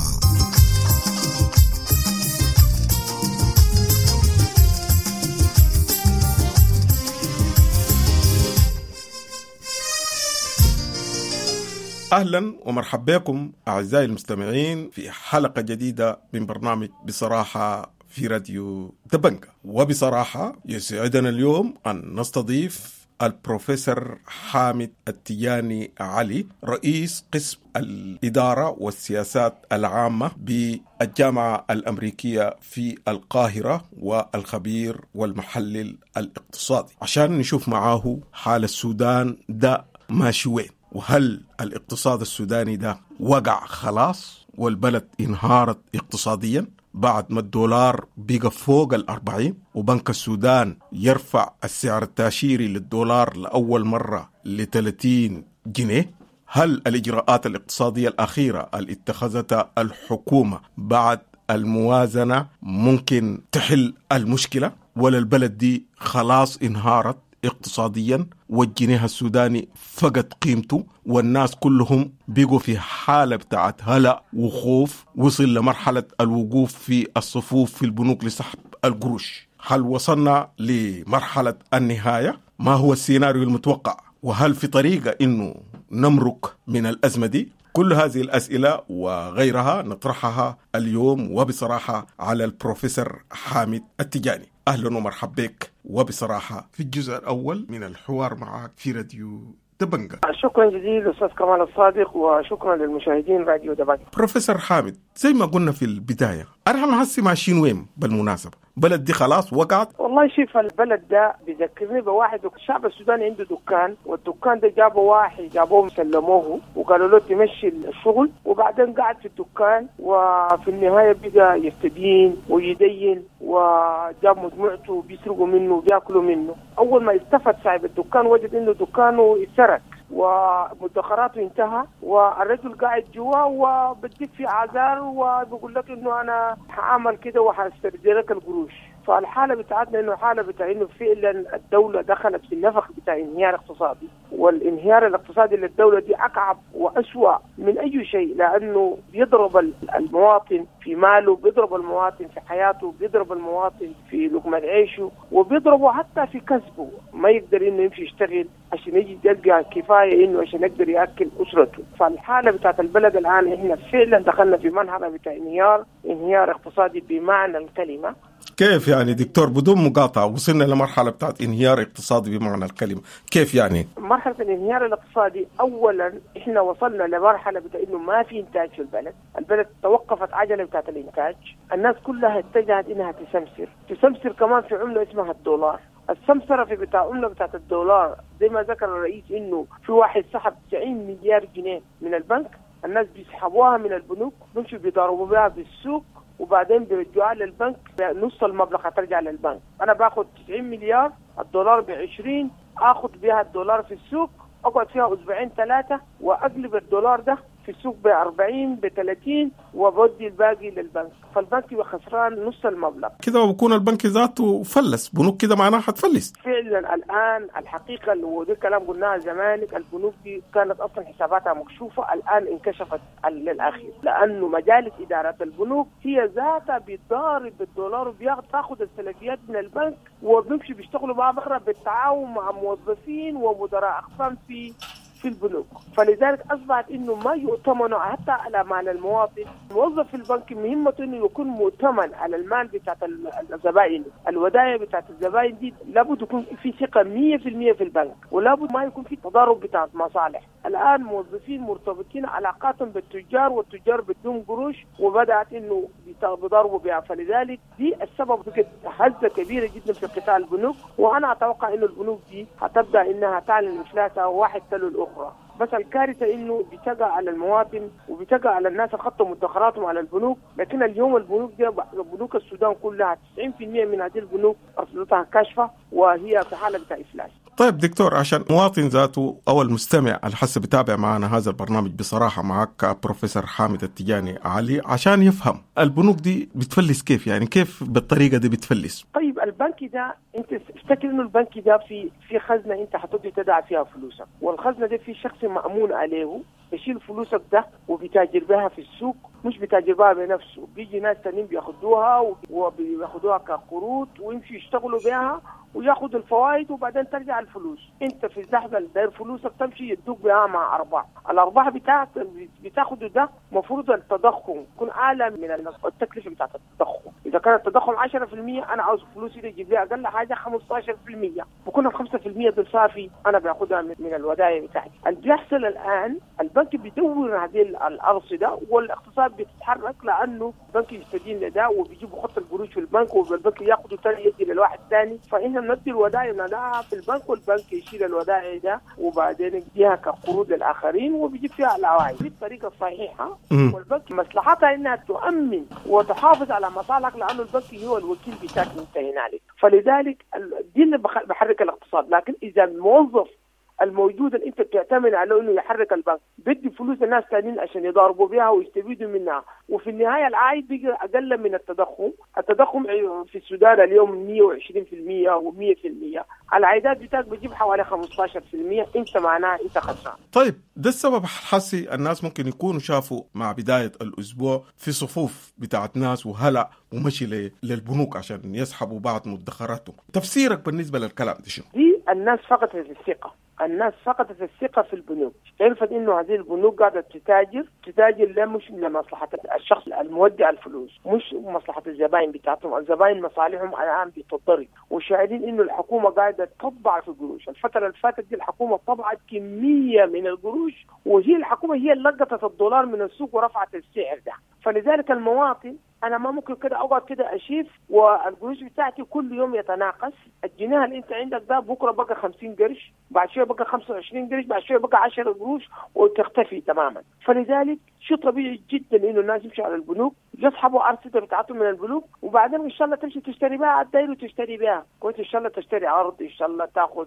Speaker 1: أهلا ومرحبا بكم أعزائي المستمعين في حلقة جديدة من برنامج بصراحة في راديو دبنجا. وبصراحة يسعدنا اليوم أن نستضيف البروفيسور حامد التياني علي، رئيس قسم الإدارة والسياسات العامة بالجامعة الأمريكية في القاهرة والخبير والمحلل الاقتصادي، عشان نشوف معاه حال السودان ده ماشي وين، وهل الاقتصاد السوداني ده وقع خلاص والبلد انهارت اقتصاديا بعد ما الدولار بقى فوق الأربعين وبنك السودان يرفع السعر التاشيري للدولار لأول مرة لثلاثين جنيه. هل الإجراءات الاقتصادية الأخيرة اللي اتخذتها الحكومة بعد الموازنة ممكن تحل المشكلة، ولا البلد دي خلاص انهارت اقتصاديا والجنيه السوداني فقد قيمته والناس كلهم بيقوا في حالة بتاعت هلع وخوف، وصل لمرحلة الوقوف في الصفوف في البنوك لسحب القروش؟ هل وصلنا لمرحلة النهاية؟ ما هو السيناريو المتوقع؟ وهل في طريقة إنه نمرق من الأزمة دي؟ كل هذه الأسئلة وغيرها نطرحها اليوم وبصراحة على البروفيسور حامد التجاني. أهلا ومرحبا بك وبصراحة في الجزء الأول من الحوار معك في راديو دبنجا.
Speaker 3: شكرا جزيلا أستاذ كمال الصادق، وشكرا للمشاهدين راديو دبنجا.
Speaker 1: بروفيسور حامد، زي ما قلنا في البداية، أنا هسي ماشيين وين بالمناسبة؟ بلد دي خلاص وقعت؟
Speaker 3: والله شوف، البلد ده بيذكرني بواحد، الشعب السوداني عنده دكان، والدكان ده جابوا واحد جابوه سلموه وقالوا له تمشي الشغل، وبعدين قعد في الدكان، وفي النهاية بقى يستدين ويدين، وجاب مجموعته بيسرقوا منه وبياكلوا منه. أول ما التفت صاحب الدكان وجد إنه دكانه اتسرق، ومدخراته انتهى، والرجل قاعد جوا وبديك في اعذار وبيقول لك انه انا هعمل كده وهسترجع لك القروش. فالحاله بتاعتنا انه حاله بتاع انه فعلا الدولة دخلت في النفق بتاع انهيار اقتصادي، والانهيار الاقتصادي للدولة دي اكعب واسوأ من اي شيء، لانه بيضرب المواطن في ماله، بيضرب المواطن في حياته، بيضرب المواطن في لقمة عيشه، وبيضربه حتى في كسبه، ما يقدر انه يمشي يشتغل عشان يجي يلقى كفاية انه عشان يقدر ياكل اسرته. فالحاله بتاعت البلد الان احنا فعلا دخلنا في مرحلة بتاع انهيار، انهيار اقتصادي بمعنى الكلمة.
Speaker 1: كيف يعني دكتور بدون مقاطعة وصلنا لمرحلة بتاعت انهيار اقتصادي بمعنى الكلمة، كيف يعني؟
Speaker 3: مرحلة الانهيار الاقتصادي أولا إحنا وصلنا لمرحلة بتاع إنه ما في إنتاج في البلد، البلد توقفت عجلة بتاعت الإنتاج، الناس كلها اتجهت إنها تسمسر، تسمسر كمان في عملة اسمها الدولار. السمسرة في بتاع عملة بتاعت الدولار زي ما ذكر الرئيس إنه في واحد سحب تسعين مليار جنيه من البنك، الناس بيسحبوها من البنوك بيمشوا بيضاربوا بها بالسوق وبعدين بيرجعوها للبنك، نص المبلغ هترجع للبنك. انا باخد تسعين مليار، الدولار ب عشرين، اخد بيها الدولار في السوق، اقعد فيها اسبوعين ثلاثة واقلب الدولار ده في السوق ب أربعين ب ثلاثين وبودي الباقي للبنك، فالبنك يبقى خسران نص المبلغ.
Speaker 1: كده وبكون البنك ذاته فلس، بنوك كده معناها حتفلس.
Speaker 3: فعلا الان الحقيقة وده الكلام قلناها زمان، البنوك دي كانت اصلا حساباتها مكشوفة، الان انكشفت للاخير، لانه مجالس ادارة البنوك هي ذاتها بتضارب بالدولار وبتاخذ السلفيات من البنك وبيمشي بيشتغلوا معاه بره بالتعاون مع موظفين ومدراء اقسام في في البنوك. فلذلك اصبحت انه ما يؤتمن حتى على مال المواطن. الموظف في البنك مهمته انه يكون مؤتمن على المال بتاعت الزبائن، الودائع بتاعت الزبائن دي لابد يكون في ثقة مية في المية في البنك، ولابد ما يكون في تضارب بتاعت مصالح. الان موظفين مرتبطين علاقاتهم بالتجار والتجار بدون قروش وبدات انه بيضاربوا بها، فلذلك دي السبب بقت هزه كبيرة جدا في قطاع البنوك، وانا اتوقع انه البنوك دي هتبدا انها تعلن افلاسها واحد تلو الاخرى. بس الكارثة انه بتقع على المواطن وبتقع على الناس اللي خطوا مدخراتهم على البنوك، لكن اليوم البنوك دي بنوك السودان كلها تسعين بالمئة من هذه البنوك ارصدتها كاشفة وهي في حاله بتاع افلاس.
Speaker 1: طيب دكتور، عشان مواطن ذاته او المستمع اللي حسب بتابع معنا هذا البرنامج بصراحة معك بروفيسور حامد التجاني علي، عشان يفهم البنوك دي بتفلس كيف، يعني كيف بالطريقة دي بتفلس؟
Speaker 3: طيب البنك ده انت افتكر انه البنك ده في في خزنه انت هتقدر تدع فيها فلوسك، والخزنه دي في شخص مأمون عليه بيشيل فلوسك ده وبيتاجر بها في السوق، مش بيتاجر بها بنفسه، بيجي ناس تانيين بياخدوها وبياخدوها كقروض ويمشوا يشتغلوا بها وياخد الفوائد وبعدين ترجع الفلوس. انت في اللحظة اللي داير فلوسك تمشي يدوك بها مع ارباح، الارباح بتاعت بتاخده ده المفروض التضخم يكون اعلى من التكلفة بتاعت التضخم. اذا كان التضخم عشرة بالمئة انا عاوز فلوسي دي تجيب لي اقل حاجة خمستاشر بالمئة، بكون ال خمسة بالمئة بالصافي انا باخدها من الودائع بتاعتي. اللي بيحصل الان البنك بيدور هذه الارصده والاقتصاد بيتحرك، لانه البنك يستدين لده وبيجيبوا خط القروش في البنك والبنك ياخده ثاني يدي للواحد ثاني، فاحنا بندي الودائع بنضعها في البنك والبنك يشيل الودائع ده وبعدين يديها كقروض للاخرين وبيجيب فيها العوائد. دي الطريقة الصحيحة، والبنك مصلحتها انها تؤمن وتحافظ على مصالحك، لانه البنك هو الوكيل بتاعك انت هنالك. فلذلك دي اللي بحرك الاقتصاد. لكن اذا الموظف الموجود اللي انت بتعتمد عليه انه يحرك البنك بدي فلوس الناس ثانيين عشان يضاربوا بها ويستفيدوا منها، وفي النهاية العائد بيجي اقل من التضخم. التضخم في السودان اليوم مية وعشرين بالمية ومية بالمية، العائدات بتاعك بتجيب حوالي خمستاشر بالمية، انت معناها انت خسران.
Speaker 1: طيب ده السبب حسي الناس ممكن يكونوا شافوا مع بداية الاسبوع في صفوف بتاعت ناس وهلع ومشي للبنوك عشان يسحبوا بعض مدخراتهم. تفسيرك بالنسبة للكلام ده شنو؟
Speaker 3: دي الناس فقدت الثقة، الناس فقدت الثقة في البنوك، عرفت إنه هذه البنوك قاعدة تتاجر، تتاجر لا مش لمصلحة الشخص المودع الفلوس، مش مصلحة الزبائن بتاعتهم، الزبائن مصالحهم الآن بتضطرب، وشاعرين إنه الحكومة قاعدة تطبع في القروش، الفترة اللي فاتت دي الحكومة طبعت كمية من القروش، وهي الحكومة هي اللي لقطت الدولار من السوق ورفعت السعر ده، فلذلك المواطن انا ما ممكن كده اقعد كده اشيف والقروش بتاعتي كل يوم يتناقص. الجنيه اللي انت عندك ده بكره بقى خمسين قرش، بعد شوية بقى خمسة وعشرين قرش، بعد شوية بقى عشرة قروش وتختفي تماما. فلذلك شيء طبيعي جدا انه الناس يمشوا على البنوك يسحبوا ارصده بتاعتهم من البنوك، وبعدين ان شاء الله تمشي تشتري بها على الداير وتشتري بها كويس، ان شاء الله تشتري ارض، ان شاء الله تاخذ،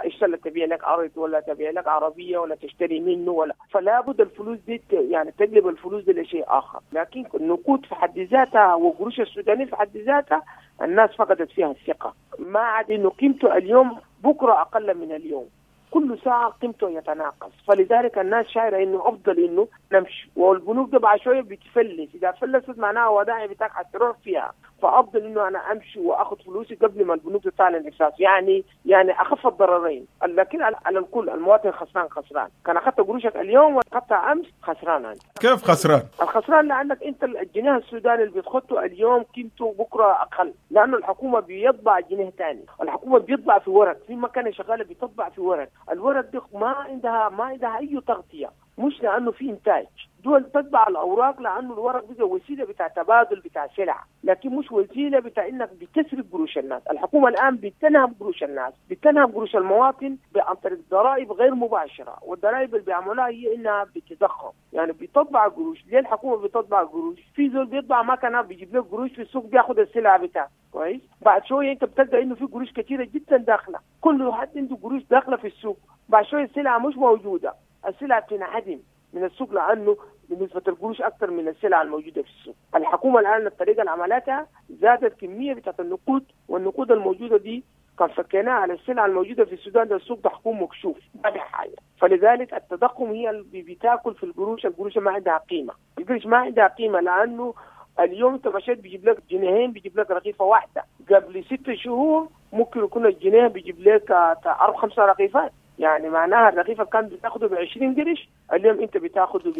Speaker 3: ان شاء الله تبيع لك ارض ولا تبيع لك عربية ولا تشتري منه ولا، فلا بد الفلوس دي يعني تقلب الفلوس دي لشيء اخر. لكن النقود في حد ذاتها وقروش السودانية في حد ذاتها الناس فقدت فيها الثقة، ما عاد انه قيمته اليوم بكره اقل من اليوم، كل ساعة قيمته يتناقص. فلذلك الناس شايرة انه افضل انه نمشي، والبنوك ده بعد شوية بتفلس، اذا فلست معناها ودائع بتاعك حتروح فيها، فافضل انه انا امشي واخذ فلوسي قبل ما البنوك تعلن افلاس، يعني يعني اخف الضررين. لكن على الكل المواطن خسران خسران، كان اخذت قروشك اليوم واخذتها امس خسران انت.
Speaker 1: كيف خسران؟
Speaker 3: الخسران لانك انت الجنيه السوداني اللي بتخطه اليوم قيمته بكره اقل، لانه الحكومة بيطبع جنيه ثاني، الحكومة بيطبع في ورق، في مكانه شغالة بتطبع في ورق، الورق دي ما عندها ما عندها اي تغطيه، مش لانه في انتاج. دول تتبع الاوراق لانه الورق بقى وسيلة بتاع تبادل بتاع سلع، لكن مش وسيلة بتاع انك بتسرق قروش الناس. الحكومة الان بتنهب قروش الناس، بتنهب قروش المواطن عن طريق ضرائب غير مباشرة، والضرائب اللي بيعملوها هي انها بتضخم، يعني بتطبع قروش. ليه الحكومة بتطبع قروش؟ في زول بيطبع مكنه بيجيب لك قروش في السوق بياخذ السلعة بتاعته، كويس؟ بعد شوية انت بتلقى انه في قروش كثيرة جدا داخله، كل حد عنده قروش داخله في السوق، بعد شوية السلعة مش موجودة، السلعة بتنعدم من السوق لانه بنسبة القروش اكثر من السلع الموجودة في السوق. الحكومة الان الطريقة اللي عملتها زادت كمية بتاعت النقود، والنقود الموجودة دي كان فكيناها على السلع الموجودة في السودان ده السوق ده حكون مكشوف ما في حاجة. فلذلك التضخم هي اللي بتاكل في القروش، القروش ما عندها قيمة، القروش ما عندها قيمة لانه اليوم انت مشيت بيجيب لك جنيهين بيجيب لك رغيفه واحدة، قبل ست شهور ممكن يكون الجنيه بيجيب لك اربع خمسة رغيفات، يعني معناها الرغيفه كان بتاخده ب عشرين قرش، اليوم انت بتاخده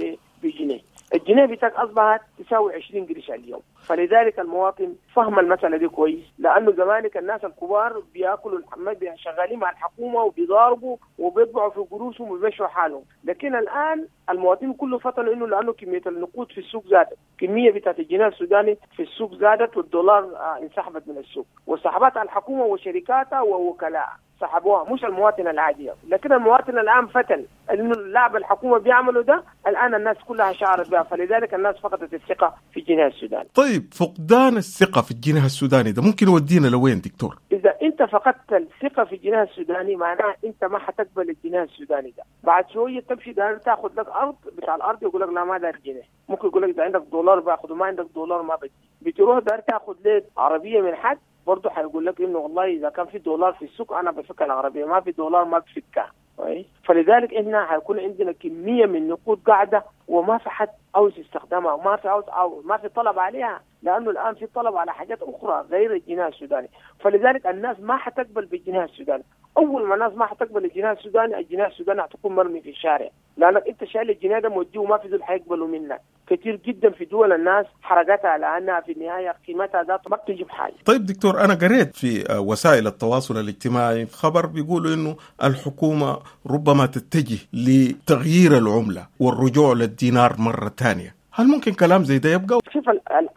Speaker 3: بجنيه، الجنيه بتاعك اصبحت تساوي عشرين قرش اليوم. فلذلك المواطن فهم المسالة دي كويس، لانه زمانك الناس الكبار بياكلوا الحمام شغالين مع الحكومة وبيضاربوا وبيطبعوا في قروشهم وبيمشوا حالهم، لكن الان المواطنين كله فطنوا انه لانه كمية النقود في السوق زادت، كمية بتاعت الجنيه السوداني في السوق زادت، والدولار انسحبت من السوق، وسحبتها الحكومة وشركاتها ووكلائها، سحبوها مش المواطن العادي. لكن المواطن الان فتن انه اللعب الحكومة بيعملوا ده الان الناس كلها شعرت بها، فلذلك الناس فقدت الثقة في الجنيه السوداني.
Speaker 1: طيب فقدان الثقة في الجنيه السوداني ده ممكن يودينا لوين دكتور؟
Speaker 3: اذا انت فقدت الثقة في الجنيه السوداني معناها انت ما حتقبل الجنيه السوداني ده، بعد شوية تمشي دار تاخذ لك ارض، بتاع الارض يقول لك لا ما دار جنيه، ممكن يقول لك اذا عندك دولار باخذه، ما عندك دولار ما بدي. بتروح دار تاخذ لك عربية من حد برضه حيقول لك انه والله اذا كان في دولار في السوق انا بفك العربية، ما في دولار ما بفكها. كويس؟ فلذلك احنا حيكون عندنا كمية من النقود قاعدة وما في حد عاوز يستخدمها، وما في عاوز أو ما في طلب عليها، لانه الان في طلب على حاجات اخرى غير الجنيه السوداني، فلذلك الناس ما حتقبل بالجنيه السوداني. اول ما الناس ما حتقبل الجنيه السوداني، الجنيه السوداني حتكون مرمي في الشارع، لانك انت شايل الجنيه ده موديه وما في زول حيقبله منك. كثير جدا في دول الناس حرقتها لانها في النهاية قيمتها ذات ما بتجيب حاجة.
Speaker 1: طيب دكتور، انا قريت في وسائل التواصل الاجتماعي خبر بيقولوا انه الحكومة ربما تتجه لتغيير العملة والرجوع للدينار مرة ثانية، هل ممكن كلام زي ده يبقى؟
Speaker 3: شوف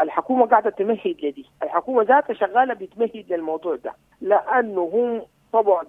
Speaker 3: الحكومة قاعدة تمهد لدي، الحكومة ذاتها شغالة بتمهد للموضوع ده، لانه هم طبعا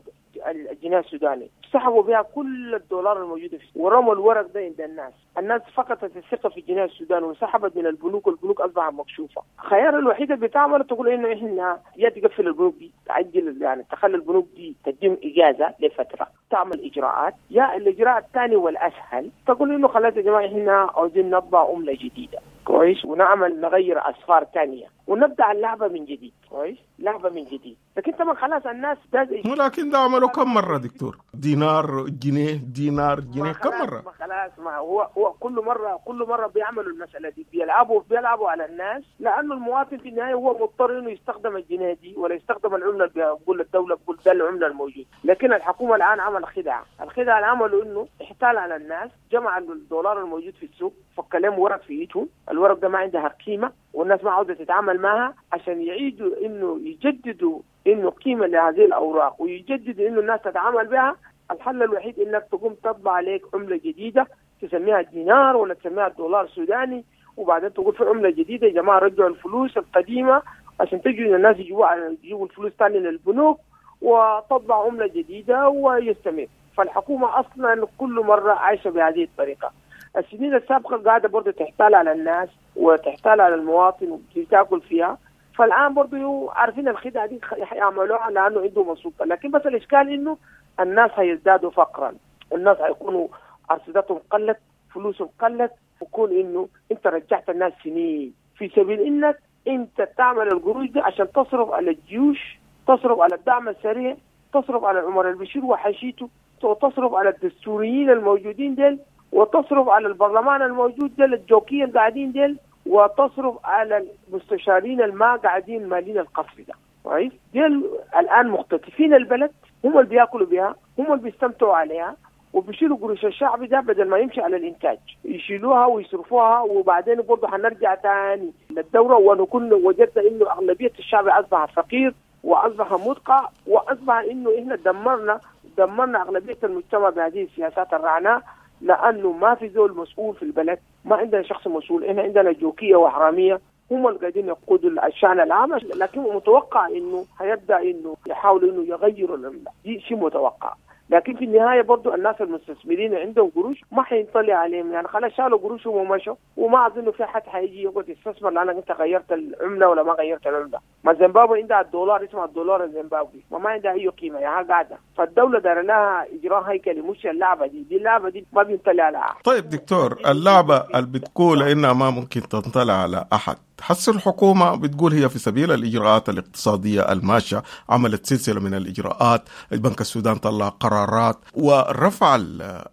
Speaker 3: الجنيه السوداني سحبوا بها كل الدولار الموجود فيه ورموا الورق ده عند الناس، الناس فقدت الثقة في الجنيه السوداني وسحبت من البنوك، والبنوك اصبحت مكشوفة. الخيار الوحيد اللي بتعمله تقول انه احنا يا تقفل البنوك دي، تعجل يعني تخلي البنوك دي تديهم اجازه لفترة، تعمل اجراءات، يا الاجراء الثاني والاسهل تقول انه خلاص يا جماعة احنا عاوزين نطبع عمله جديدة، كويس، ونعمل نغير اسفار ثانية ونبدا اللعبة من جديد، كويس، لعبه من جديد. لكن طبعا خلاص الناس ده
Speaker 1: ولكن ده عملوا كم مرة دكتور؟ دينار جنيه دينار جنيه كم مرة؟
Speaker 3: ما خلاص، ما هو هو كل مرة كل مرة بيعملوا المسالة دي، بيلعبوا بيلعبوا على الناس، لانه المواطن في النهاية هو مضطر انه يستخدم الجنيه دي ولا يستخدم العملة اللي بيقول الدولة بيقول ده العملة الموجودة. لكن الحكومة الان عمل خدعه، الخدعه اللي عملوا انه احتال على الناس، جمع الدولار الموجود في السوق، فك لهم ورق في ايدهم، الورق ده ما عندها قيمة والناس ما عاوزه تتعامل معها، عشان يعيدوا انه يجددوا انه قيمة لهذه الاوراق ويجددوا انه الناس تتعامل بها. الحل الوحيد انك تقوم تطبع عليك عمله جديدة تسميها دينار ولا تسميها دولار سوداني، وبعدين تقول في عمله جديدة يا جماعة رجعوا الفلوس القديمة عشان تجوا الناس يجيبوا يجيبوا الفلوس ثاني للبنوك وتطبع عمله جديدة ويستمر. فالحكومة اصلا كل مرة عايشه بهذه الطريقة. السنين السابقة قاعدة برضه تحتال على الناس وتحتال على المواطن وتاكل فيها. فالان برضه عارفين الخدعه دي يعملوها لانه عندهم السلطة، لكن بس الاشكال انه الناس هيزدادوا فقرا، الناس هيكونوا ارصدتهم قلت، فلوسهم قلت، ويكون انه انت رجعت الناس سنين في سبيل انك انت تعمل القروش دي عشان تصرف على الجيوش، تصرف على الدعم السريع، تصرف على عمر البشير وحشيته، وتصرف على الدستوريين الموجودين ديل، وتصرف على البرلمان الموجود ديل الجوكيه القاعدين ديل، وتصرف على المستشارين الما قاعدين مالين القصر ده. كويس؟ ديل الان مختطفين البلد، هم اللي بياكلوا بها، هم اللي بيستمتعوا عليها، وبيشيلوا قروش الشعب ده بدل ما يمشي على الانتاج، يشيلوها ويصرفوها. وبعدين برضه حنرجع تاني للدورة ونكون وجدنا انه اغلبية الشعب اصبح فقير واصبح مدقع، واصبح انه احنا دمرنا دمرنا اغلبية المجتمع بهذه السياسات الرعناء، لانه ما في زول مسؤول في البلد، ما عندنا شخص مسؤول، احنا عندنا جوكيه وحراميه هم اللي قاعدين يقودوا الشأن العام. لكن متوقع انه هيبدا انه يحاولوا انه يغيروا العملة، دي شيء متوقع. لكن في النهاية برضو الناس المستثمرين عندهم قروش ما حينطلع عليهم، يعني خلاص شالوا قروشهم ومشوا، وما اظن في حد حيجي يقعد يستثمر لانك انت غيرت العملة ولا ما غيرت العملة. ما زيمبابوي عندها الدولار اسمه الدولار الزيمبابوي وما عندها اي قيمة، يعني قاعدة. فالدولة دار لها اجراء هيكلي، مش اللعبة دي، دي اللعبة دي ما بينطلع على احد.
Speaker 1: طيب دكتور، اللعبة اللي بتقول انها ما ممكن تنطلع على احد، حس الحكومة بتقول هي في سبيل الإجراءات الاقتصادية الماشية، عملت سلسلة من الإجراءات، البنك السودان طلع قرارات ورفع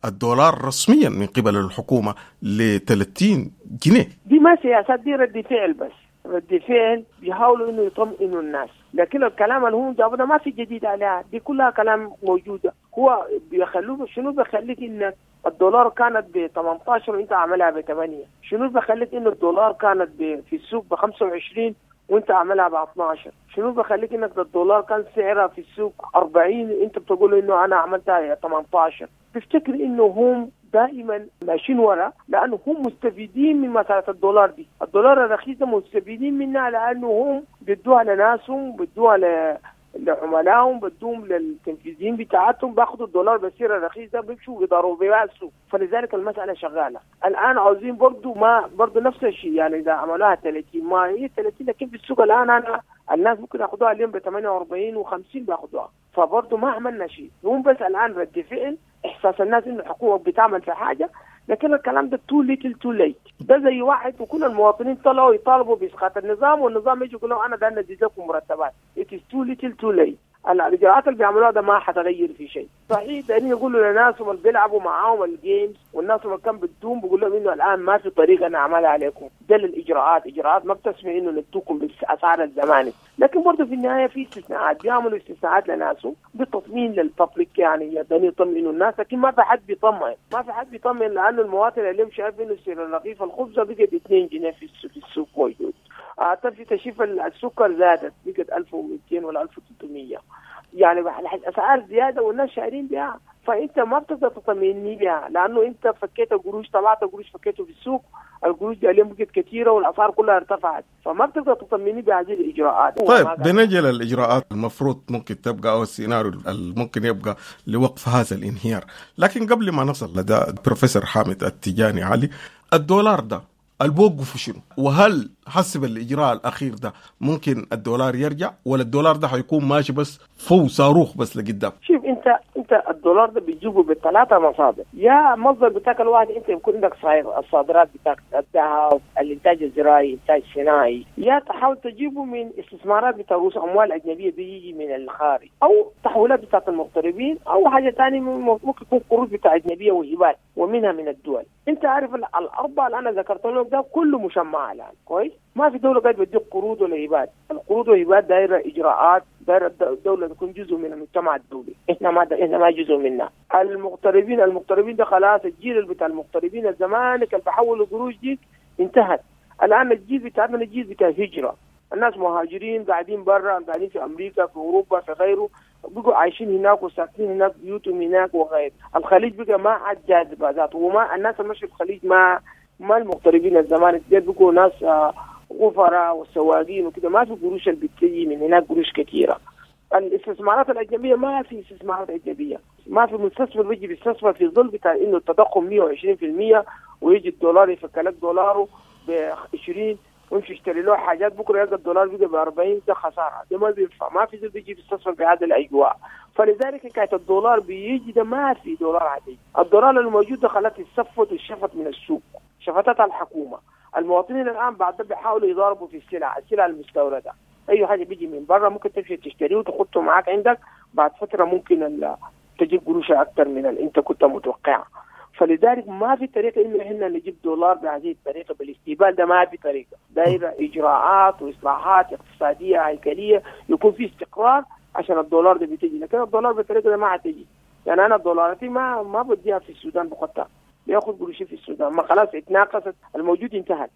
Speaker 1: الدولار رسميا من قبل الحكومة ل ثلاثين جنيه.
Speaker 3: دي ما سياسات، دي رد فعل بس، رد فعل بيحاولوا إنه يطمئنوا الناس، لكن الكلام اللي هم جابوه ده ما في جديد عليها، دي كلها كلام موجودة. هو بيخلوه شنو؟ بيخليك إنك الدولار كانت ب ثمانية عشر وانت عاملها ب ثمانية، شنو بخليك انه الدولار كانت في السوق ب خمسة وعشرين وانت عاملها ب اثنا عشر، شنو بخليك انك الدولار كان سعرها في السوق أربعين انت بتقول انه انا عملتها ثمانية عشر. تفتكر انه هم دائما ماشيين ورا لانه هم مستفيدين من مسالة الدولار دي، الدولار الرخيص ده مستفيدين منها لانه هم بيدوها لناسهم، بيدوها ل لعملائهم، بدوهم للتنفيذيين بتاعتهم، باخدوا الدولار بسعر الرخيص ده بيمشوا بيضربوا بيه السوق. فلذلك المسألة شغالة الآن. عاوزين برضو ما برضو نفس الشيء، يعني إذا عملوها ثلاثين ما هي ثلاثين، لكن في السوق الآن أنا الناس ممكن ياخدوها اليوم ب ثمانية وأربعين وخمسين بياخدوها، فبرضو ما عملنا شيء. هم بس الآن رد فعل، إحساس الناس إنه الحكومة بتعمل في حاجة، لكن الكلام ده too little too late. ده زي واحد وكل المواطنين طلعوا يطالبوا بإسقاط النظام، والنظام يجي يقول لهم أنا ده ندي لكم مرتبات. It is too little too late. الإجراءات اللي بيعملوها ده ما حتغير في شيء. صحيح لأن يقولوا لناس اللي بيلعبوا معاهم ال games والناس اللي كان بدون، بيقول لهم إنه الآن ما في طريقة نعملها عليكم، ده الإجراءات، إجراءات ما بتسمع إنه ندوكم بالأسعار الزماني. لكن برضه في النهاية في استثناءات، بيعملوا استثناءات لناسهم بتطمين لل public، يعني يدني يطمئنوا الناس، لكن ما في حد بيطمئن، ما في حد بيطمئن لأنه المواطن اللي شايف إنه سعر الرغيف الخبزة بقت اثنين جنيه في السوق موجود. في تشيف السكر زادت بقت ألف ومئتين ولا ألف وثلاثمية، يعني الأسعار زيادة والناس شاعرين بها. فأنت ما بتقدر تطمئني بها لأنه أنت فكيت قروش، طلعت قروش فكيته في السوق، القروش دي اليوم بقت كثيرة والأسعار كلها ارتفعت، فما بتقدر تطمئني بهذه الإجراءات.
Speaker 1: طيب بنجي للإجراءات المفروض ممكن تبقى أو السيناريو الممكن يبقى لوقف هذا الانهيار، لكن قبل ما نصل لدى بروفيسور حامد التجاني علي، الدولار ده البوقف شنو؟ وهل حسب الإجراء الأخير ده ممكن الدولار يرجع ولا الدولار ده حيكون ماشي بس فوق صاروخ بس لقدام؟
Speaker 3: شوف انت انت الدولار ده بتجيبه بالثلاثة مصادر، يا مصدر بتاعك الواحد انت يكون عندك الصادرات بتاعك الذهب، الانتاج الزراعي، انتاج صناعي، يا تحاول تجيبه من استثمارات بتاع رؤوس اموال اجنبية بيجي من الخارج، او تحويلات بتاعت المغتربين، او حاجة ثانية ممكن يكون قروض بتاع اجنبية وهبات ومنها من الدول. انت عارف الاربعة اللي انا ذكرت لك ده كله مشمع الان، كويس؟ ما في دولة قاعدة بتديك قروض ولا هبات، القروض والهبات دايرة اجراءات، دايرة الدولة تكون جزء من المجتمع الدولي، احنا ما احنا ما جزء منها. المغتربين المغتربين ده خلاص الجيل بتاع المغتربين الزمانك اللي بحولوا قروش دي انتهت. الان الجيل بتاعنا الجيل بتاع هجره، الناس مهاجرين قاعدين برا، قاعدين في امريكا، في اوروبا، في غيره، بقوا عايشين هناك وساكنين هناك، بيوتهم هناك وغيره. الخليج بقى ما عاد جاذبة ذاته، وما الناس اللي مشوا الخليج ما ما المغتربين الزمان ديل بيكونوا ناس غفراء وسواقين وكده، ما في قروش اللي بتجي من هناك قروش كثيرة. الاستثمارات الأجنبية ما في استثمارات أجنبية، ما في مستثمر بيجي بيستثمر في ظل بتاع إنه التضخم مية وعشرين بالمية ويجي الدولار يفك لك دولاره ب عشرين ويمشي يشتري له حاجات، بكره يلقى الدولار بقى ب أربعين، ده خسارة، ده ما بينفع، ما في زول بيجي بيستثمر بهذه الاجواء. فلذلك حكاية الدولار بيجي ده ما في دولار عادي، الدولار الموجود ده خلاص اتسفت واتشفت من السوق، شفتتها الحكومة. المواطنين الان بعد ده بيحاولوا يضاربوا في السلع، السلع المستورده، اي حاجة بيجي من برا ممكن تمشي تشتريه وتحطه معاك عندك، بعد فترة ممكن تجيب قروش اكثر من اللي انت كنت متوقعها. فلذلك ما في طريقة إنه إحنا نجيب دولار بهذه الطريقة بالاستقبال ده، ما في طريقة، دايرة إجراءات وإصلاحات اقتصادية هيكلية يكون في استقرار عشان الدولار ده بتجي، لكن الدولار بالطريقة ده ما هتجي. يعني أنا دولاراتي ما ما بديها في السودان بقطع، بياخد قروشي في السودان، ما خلاص اتناقصت، الموجود انتهت.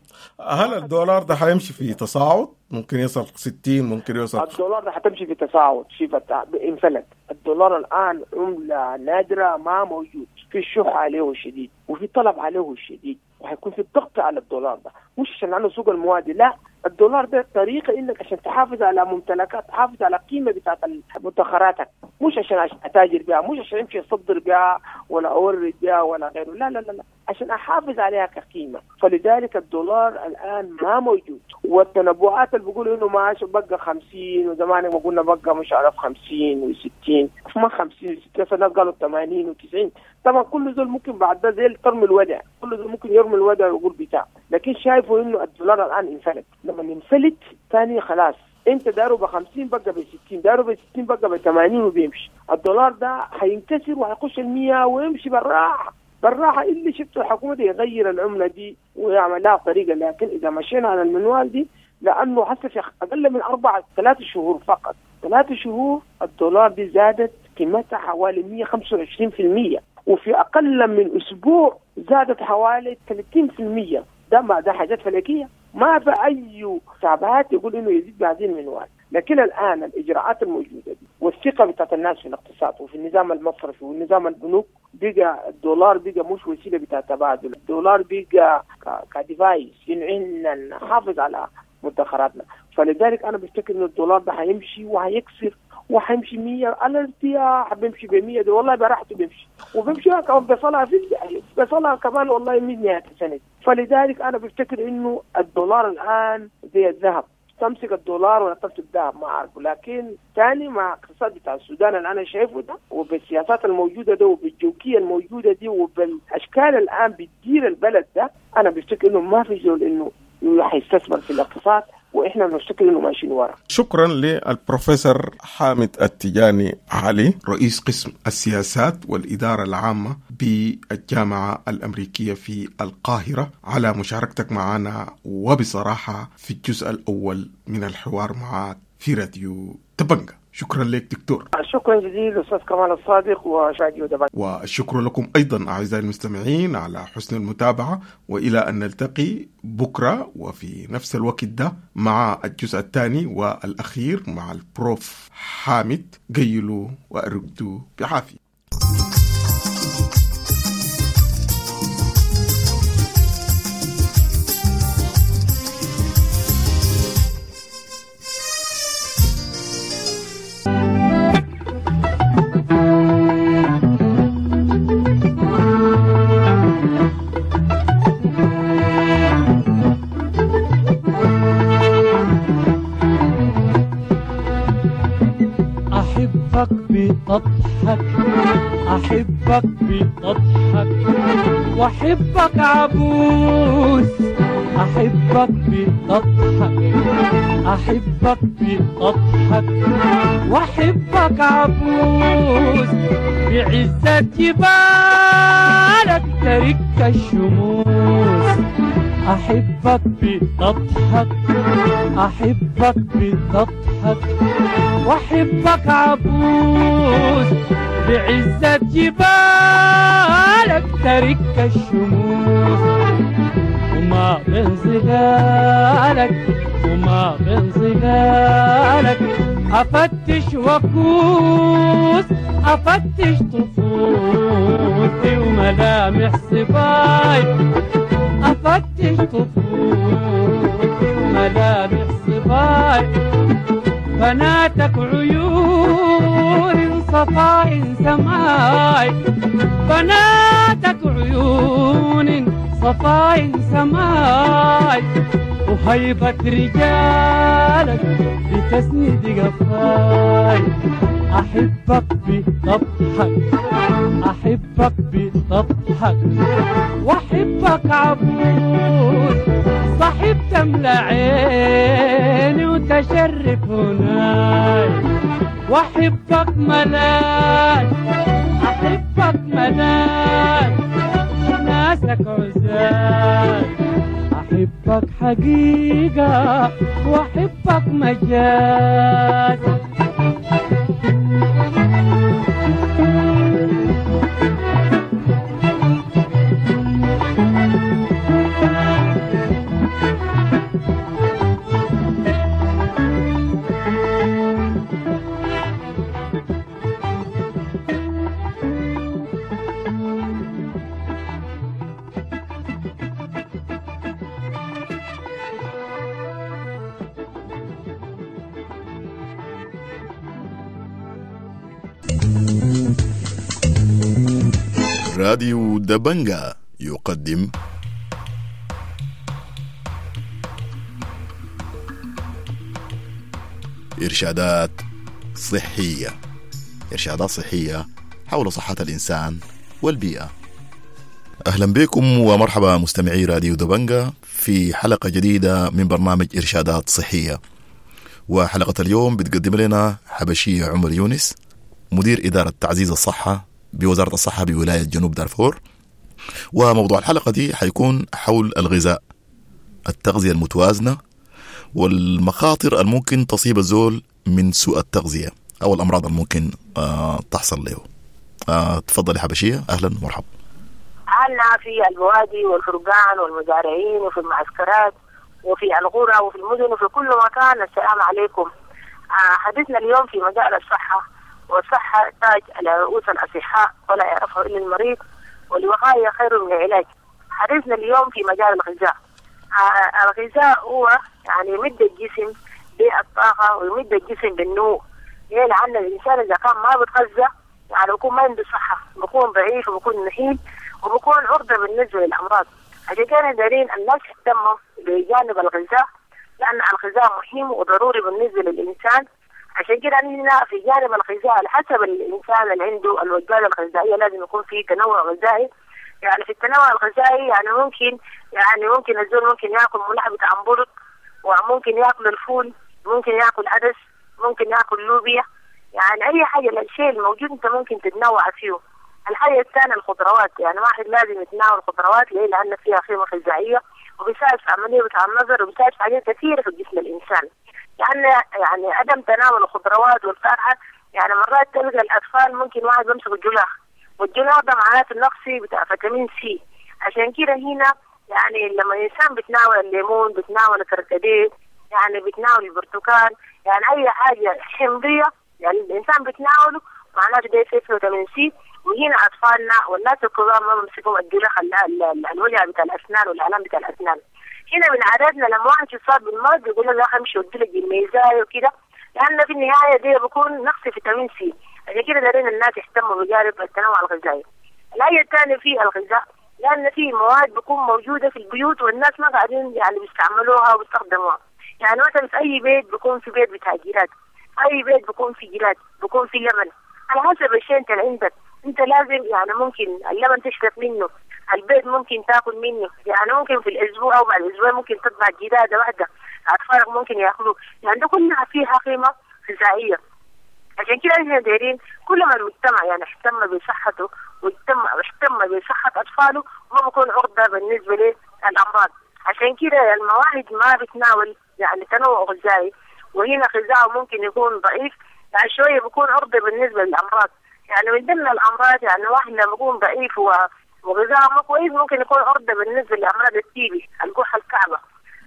Speaker 1: هل الدولار ده حيمشي في تصاعد؟ ممكن يصل ستين، ممكن يوصل.
Speaker 3: الدولار ده حتمشي في تصاعد، شوف انفلت. الدولار الآن عملة نادرة ما موجود، في الشح عليه شديد وفي طلب عليه شديد، وحيكون في الضغط على الدولار ده، مش عشان لأنه سوق المواد، لا، الدولار ده طريقة إنك عشان تحافظ على ممتلكات، تحافظ على قيمة بتاعت مدخراتك، مش عشان أتاجر بها، مش عشان أمشي أصدر بها ولا أورد بها ولا غيره، لا لا لا لا، عشان أحافظ عليها كقيمة. فلذلك الدولار الآن ما موجود، والتنبؤات اللي بيقولوا إنه ما بقى خمسين، وزمان ما قلنا بقى مش عارف خمسين وستين، ما خمسين وستين، فالناس قالوا ثمانين وتسعين. طبعا كل زول ممكن بعد ده زي ترمي الودع، كل زول ممكن يرمي الودع ويقول بتاع، لكن شايفوا إنه الدولار الآن انفلت. لما ينفلت ثاني خلاص، انت داره ب خمسين بقى ب ستين، داره ب ستين بقى ب ثمانين وبيمشي. الدولار ده حينكسر وحيخش المية ويمشي بالراحة بالراحة. اللي شفته الحكومة دي يغير العملة دي ويعمل لها طريقه، لكن اذا مشينا على المنوال دي، لانه حتى في اقل من اربع ثلاث شهور فقط، ثلاث شهور الدولار دي زادت قيمتها حوالي مية وخمسة وعشرين بالمية، وفي اقل من اسبوع زادت حوالي ثلاثين بالمية. ده ما ده حاجات فلكيه، ما في اي حسابات يقول انه يزيد بهذه المنوال. لكن الان الاجراءات الموجودة دي والثقة بتاعت الناس في الاقتصاد وفي النظام المصرفي والنظام البنوك، بقى الدولار بقى مش وسيلة بتاع تبادل، الدولار بقى كديفايس انه نحافظ على مدخراتنا. فلذلك انا بفتكر انه الدولار ده هيمشي وهيكسر وحيمشي مية على ارتياح، بيمشي ب مية ده والله براحته بيمشي، وبيمشي كمان بيصلها في بيصلها كمان والله من نهاية السنة. فلذلك انا بفتكر انه الدولار الان زي الذهب، تمسك الدولار ولا تمسك الذهب ما اعرف، لكن ثاني مع الاقتصاد بتاع السودان اللي انا شايفه ده، وبالسياسات الموجودة ده، وبالجوكيه الموجودة دي، وبالاشكال الان بتدير البلد ده، انا بفتكر انه ما في زول انه حيستثمر في الاقتصاد، واحنا بنفتكر انه ماشيين ورا.
Speaker 1: شكرا للبروفيسور حامد التجاني علي، رئيس قسم السياسات والإدارة العامة بالجامعة الأمريكية في القاهرة، على مشاركتك معنا وبصراحة في الجزء الأول من الحوار معك في راديو دبنجة. شكرا لك دكتور.
Speaker 3: شكرا جزيلا أستاذ كمال الصادق وراديو دبنجة.
Speaker 1: والشكر لكم أيضا أعزائي المستمعين على حسن المتابعة، وإلى أن نلتقي بكرة وفي نفس الوقت ده مع الجزء الثاني والأخير مع البروف حامد. قيلوا وأرقدوا بعافية.
Speaker 20: أحبك بتضحك، أحبك بتضحك، وأحبك عبوس، أحبك بتضحك، أحبك بتضحك، وأحبك عبوس، بعزة جبالك ترك الشموس، أحبك بتضحك، أحبك بتضحك، وأحبك عبوس، بعزة جبالك ترك الشموس، وما بين ظلالك، وما بين ظلالك أفتش وكوس، أفتش طفولتي وملامح صباي، أفتش طفولتي وملامح صباي، بناتك عيون صفاء سماي، بناتك عيون صفاء سماي، وهيبة رجالك بتسند قفاي. أحبك بطبحك، أحبك بطبحك، وأحبك عبود صاحب تملى عيني وتشرف هناي، وأحبك ملاك، أحبك ملاك ناسك عزاز، أحبك حقيقة وأحبك مجاز.
Speaker 21: راديو دبنجا يقدم إرشادات صحية، إرشادات صحية حول صحة الإنسان والبيئة. أهلا بكم ومرحبا مستمعي راديو دبنجا في حلقة جديدة من برنامج إرشادات صحية. وحلقة اليوم بتقدم لنا حبشية عمر يونس، مدير إدارة تعزيز الصحة بوزارة الصحة بولاية جنوب دارفور. وموضوع الحلقة دي حيكون حول الغذاء، التغذية المتوازنة والمخاطر الممكن تصيب الزول من سوء التغذية أو الأمراض الممكن آه تحصل له. آه تفضلي حبشية، أهلا ومرحبا.
Speaker 3: أهلنا في البوادي والفرقان والمزارعين وفي المعسكرات وفي القرى وفي المدن وفي كل مكان، السلام عليكم. آه حديثنا اليوم في مجال الصحة، والصحة تاج على رؤوس الأصحاء ولا يعرفه إلا المريض، والوقاية خير من العلاج. حديثنا اليوم في مجال الغذاء. آه الغذاء هو يعني يمد الجسم بالطاقة ويمد الجسم بالنمو. ليه؟ لأن الإنسان إذا كان ما بتغذى يعني بيكون ما عنده صحة، بيكون ضعيف وبيكون نحيل وبيكون عرضة بالنسبة للأمراض. عشان كده دارين الناس يهتموا بجانب الغذاء، لأن الغذاء مهم وضروري بالنسبة للإنسان. عشان كده هنا في جانب الغذاء على حسب الإنسان اللي عنده الوجبات الغذائية لازم يكون في تنوع غذائي. يعني في التنوع الغذائي يعني ممكن يعني ممكن الزول ممكن ياكل ملح بتاع همبرجر، وممكن ياكل الفول، ممكن ياكل عدس، ممكن ياكل لوبيا، يعني أي حاجة الشيء الموجود أنت ممكن تتنوع فيه. الحاجة الثانية الخضروات، يعني واحد لازم يتناول الخضروات. ليه؟ لأن فيها قيمة غذائية وبيساعد في عملية بتاع النظر وبيساعد في حاجات كثيرة في جسم الإنسان. لأن يعني عدم تناول الخضروات والفاكهة، يعني مرات تلقى الأطفال ممكن واحد بيمسك الجلاخ، والجلاخ ده معناته النقص بتاع فيتامين سي. عشان كده هنا يعني لما الإنسان بتناول الليمون، بتناول الكركديه، يعني بتناول البرتقال، يعني أي حاجة حمضية يعني الإنسان بتناوله معناته ده فيه فيتامين سي. وهنا أطفالنا والناس الكبار ما بيمسكوا الجلاخ، الوجع بتاع الأسنان والآلام بتاع الأسنان. هنا من عاداتنا لما واحد يصاب بالمرض بيقول له امشي ودي لك الميزايه وكده، لأن في النهاية دي بيكون نقص فيتامين سي. عشان كده دارين الناس يهتموا بجانب التنوع الغذائي. الآية الثانية في الغذاء، لأن في مواد بتكون موجودة في البيوت والناس ما قاعدين يعني بيستعملوها وبيستخدموها. يعني مثلا في أي بيت بيكون في بيت بتاع جيرات، أي بيت بيكون في جيرات، بيكون في لبن. على حسب الشيء أنت اللي عندك، أنت لازم يعني ممكن اللبن تشرب منه، البيت ممكن تاكل منه، يعني ممكن في الأسبوع أو بعد الأسبوع ممكن تطبع جدادة واحدة، أطفالك ممكن يأكلوه، يعني ده كلها فيها قيمة غذائية. عشان كده احنا دايرين كل ما المجتمع يعني اهتم بصحته واهتم واهتم بصحة أطفاله ما بيكون عرضة بالنسبة للأمراض. عشان كده المواهب ما بتناول يعني تنوع غذائي، وهنا غذاء ممكن يكون ضعيف يعني شوية بيكون عرضة بالنسبة للأمراض. يعني من ضمن الأمراض يعني واحد لما يكون ضعيف وغذاء ما كويس ممكن يكون عرضة بالنسبة لأمراض التيبي، الكحة الكعبة.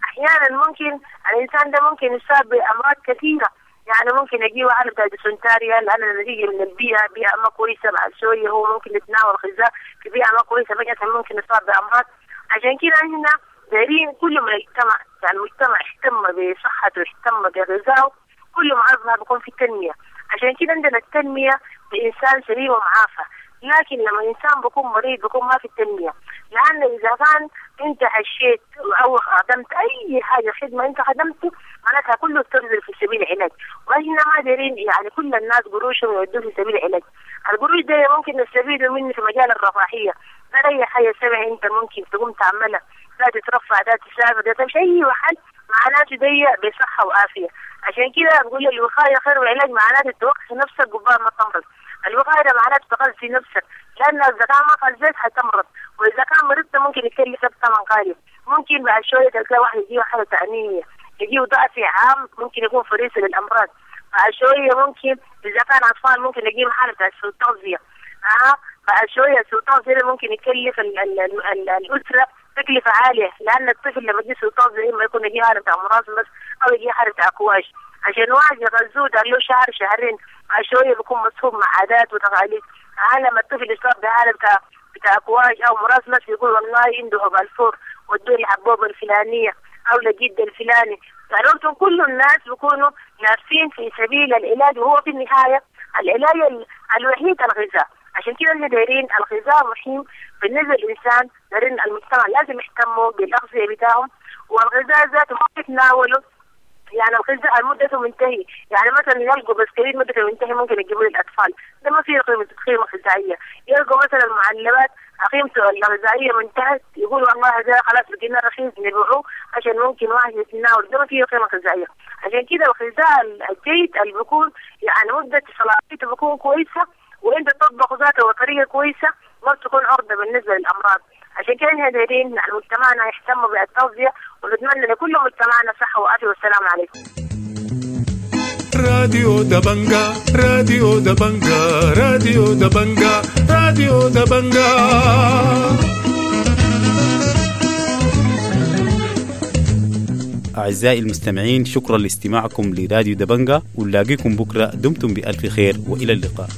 Speaker 3: أحيانا ممكن الإنسان ده ممكن يصاب بأمراض كثيرة، يعني ممكن يجي واحد بتاع ديسنتاريا لأن نتيجة من البيئة، بيئة ما كويسة، بعد شوية هو ممكن يتناول غذاء في بيئة ما كويسة فجأة ممكن يصاب بأمراض.
Speaker 4: عشان كده احنا دايرين كل ما المجتمع يعني المجتمع اهتم بصحته اهتم بغذائه، كل ما أصبح بيكون في تنمية. عشان كده عندنا التنمية بإنسان سليم ومعافى، لكن لما الإنسان بيكون مريض بيكون ما في التنمية. لأن إذا كان أنت هشيت أو خدمت أي حاجة خدمة أنت خدمته معناتها كله تبذل في سبيل العلاج، وإحنا ما دارين يعني كل الناس قروشهم يودوه في سبيل العلاج. القروش ده ممكن نستفيد منه في مجال الرفاهية، لا أي حاجة سمع أنت ممكن تقوم تعملها، لا تترفع لا تسافر لا تمشي أي محل، معناته دي بصحة وعافية. عشان كده بقول الوقاية خير والعلاج، معناته توقف نفسك قبل ما تمرض. الوقاية ده معناته تغذي نفسك، لأن إذا كان ما غذيت حتمرض، وإذا كان مرضت ممكن يكلفك ثمن غالي. ممكن بعد شوية تلقى واحد يجيه حالة أنيميا، يجيه ضعف عام، ممكن يكون فريسة للأمراض. بعد شوية ممكن إذا كان أطفال ممكن يجيه حالة سوء تغذية. آه بعد شوية سوء تغذية ممكن يكلف ال ال ال ال الأسرة تكلفة عالية، لأن الطفل لما يجي سوء تغذية إما يكون يجيه حالة مرض أو يجيه حالة أكواش. عشان واحد يغذوه ده له شهر شهرين، بعد شوية بيكون مصحوب مع عادات وتقاليد. لما الطفل يصاب بحالة بتاع بتاع أكواش أو مراسمس يقول والله عنده هبالفور ودوه الحبوبة الفلانية أو لجد الفلاني. فعرفتم كل الناس بيكونوا نافين في سبيل العلاج، وهو في النهاية العلاج الوحيد الغذاء. عشان كده احنا دايرين الغذاء مهم بالنسبة للإنسان، دايرين المجتمع لازم يهتموا بالأغذية بتاعهم، والغذاء ذاته ما يتناولوا يعني الغذاء مدته منتهي. يعني مثلا يلقوا بسكويت مدته منتهي ممكن يجيبوه للأطفال، ده ما فيه قيمة قيمة غذائية. يلقوا مثلا معلبات قيمته الغذائية منتهت، يقولوا والله هذا خلاص لقينا رخيص نبيعوه عشان ممكن واحد يتناول، ده ما فيه قيمة غذائية. عشان كده الغذاء الجيد اللي بيكون يعني مدة صلاحيته بيكون كويسة، وانت تطبخ ذاته بطريقة كويسة ما بتكون عرضة بالنسبة للأمراض. عشان كده احنا دايرين مجتمعنا يهتم بالتغذية، ونتمنى لكل مجتمعنا صحة وعافية. والسلام عليكم.
Speaker 22: راديو دبنجا، راديو دبنجا، راديو دبنجا، راديو دبنجا.
Speaker 23: أعزائي المستمعين، شكرا لاستماعكم لراديو دبنجا، ونلاقيكم بكرة. دمتم بألف خير وإلى اللقاء.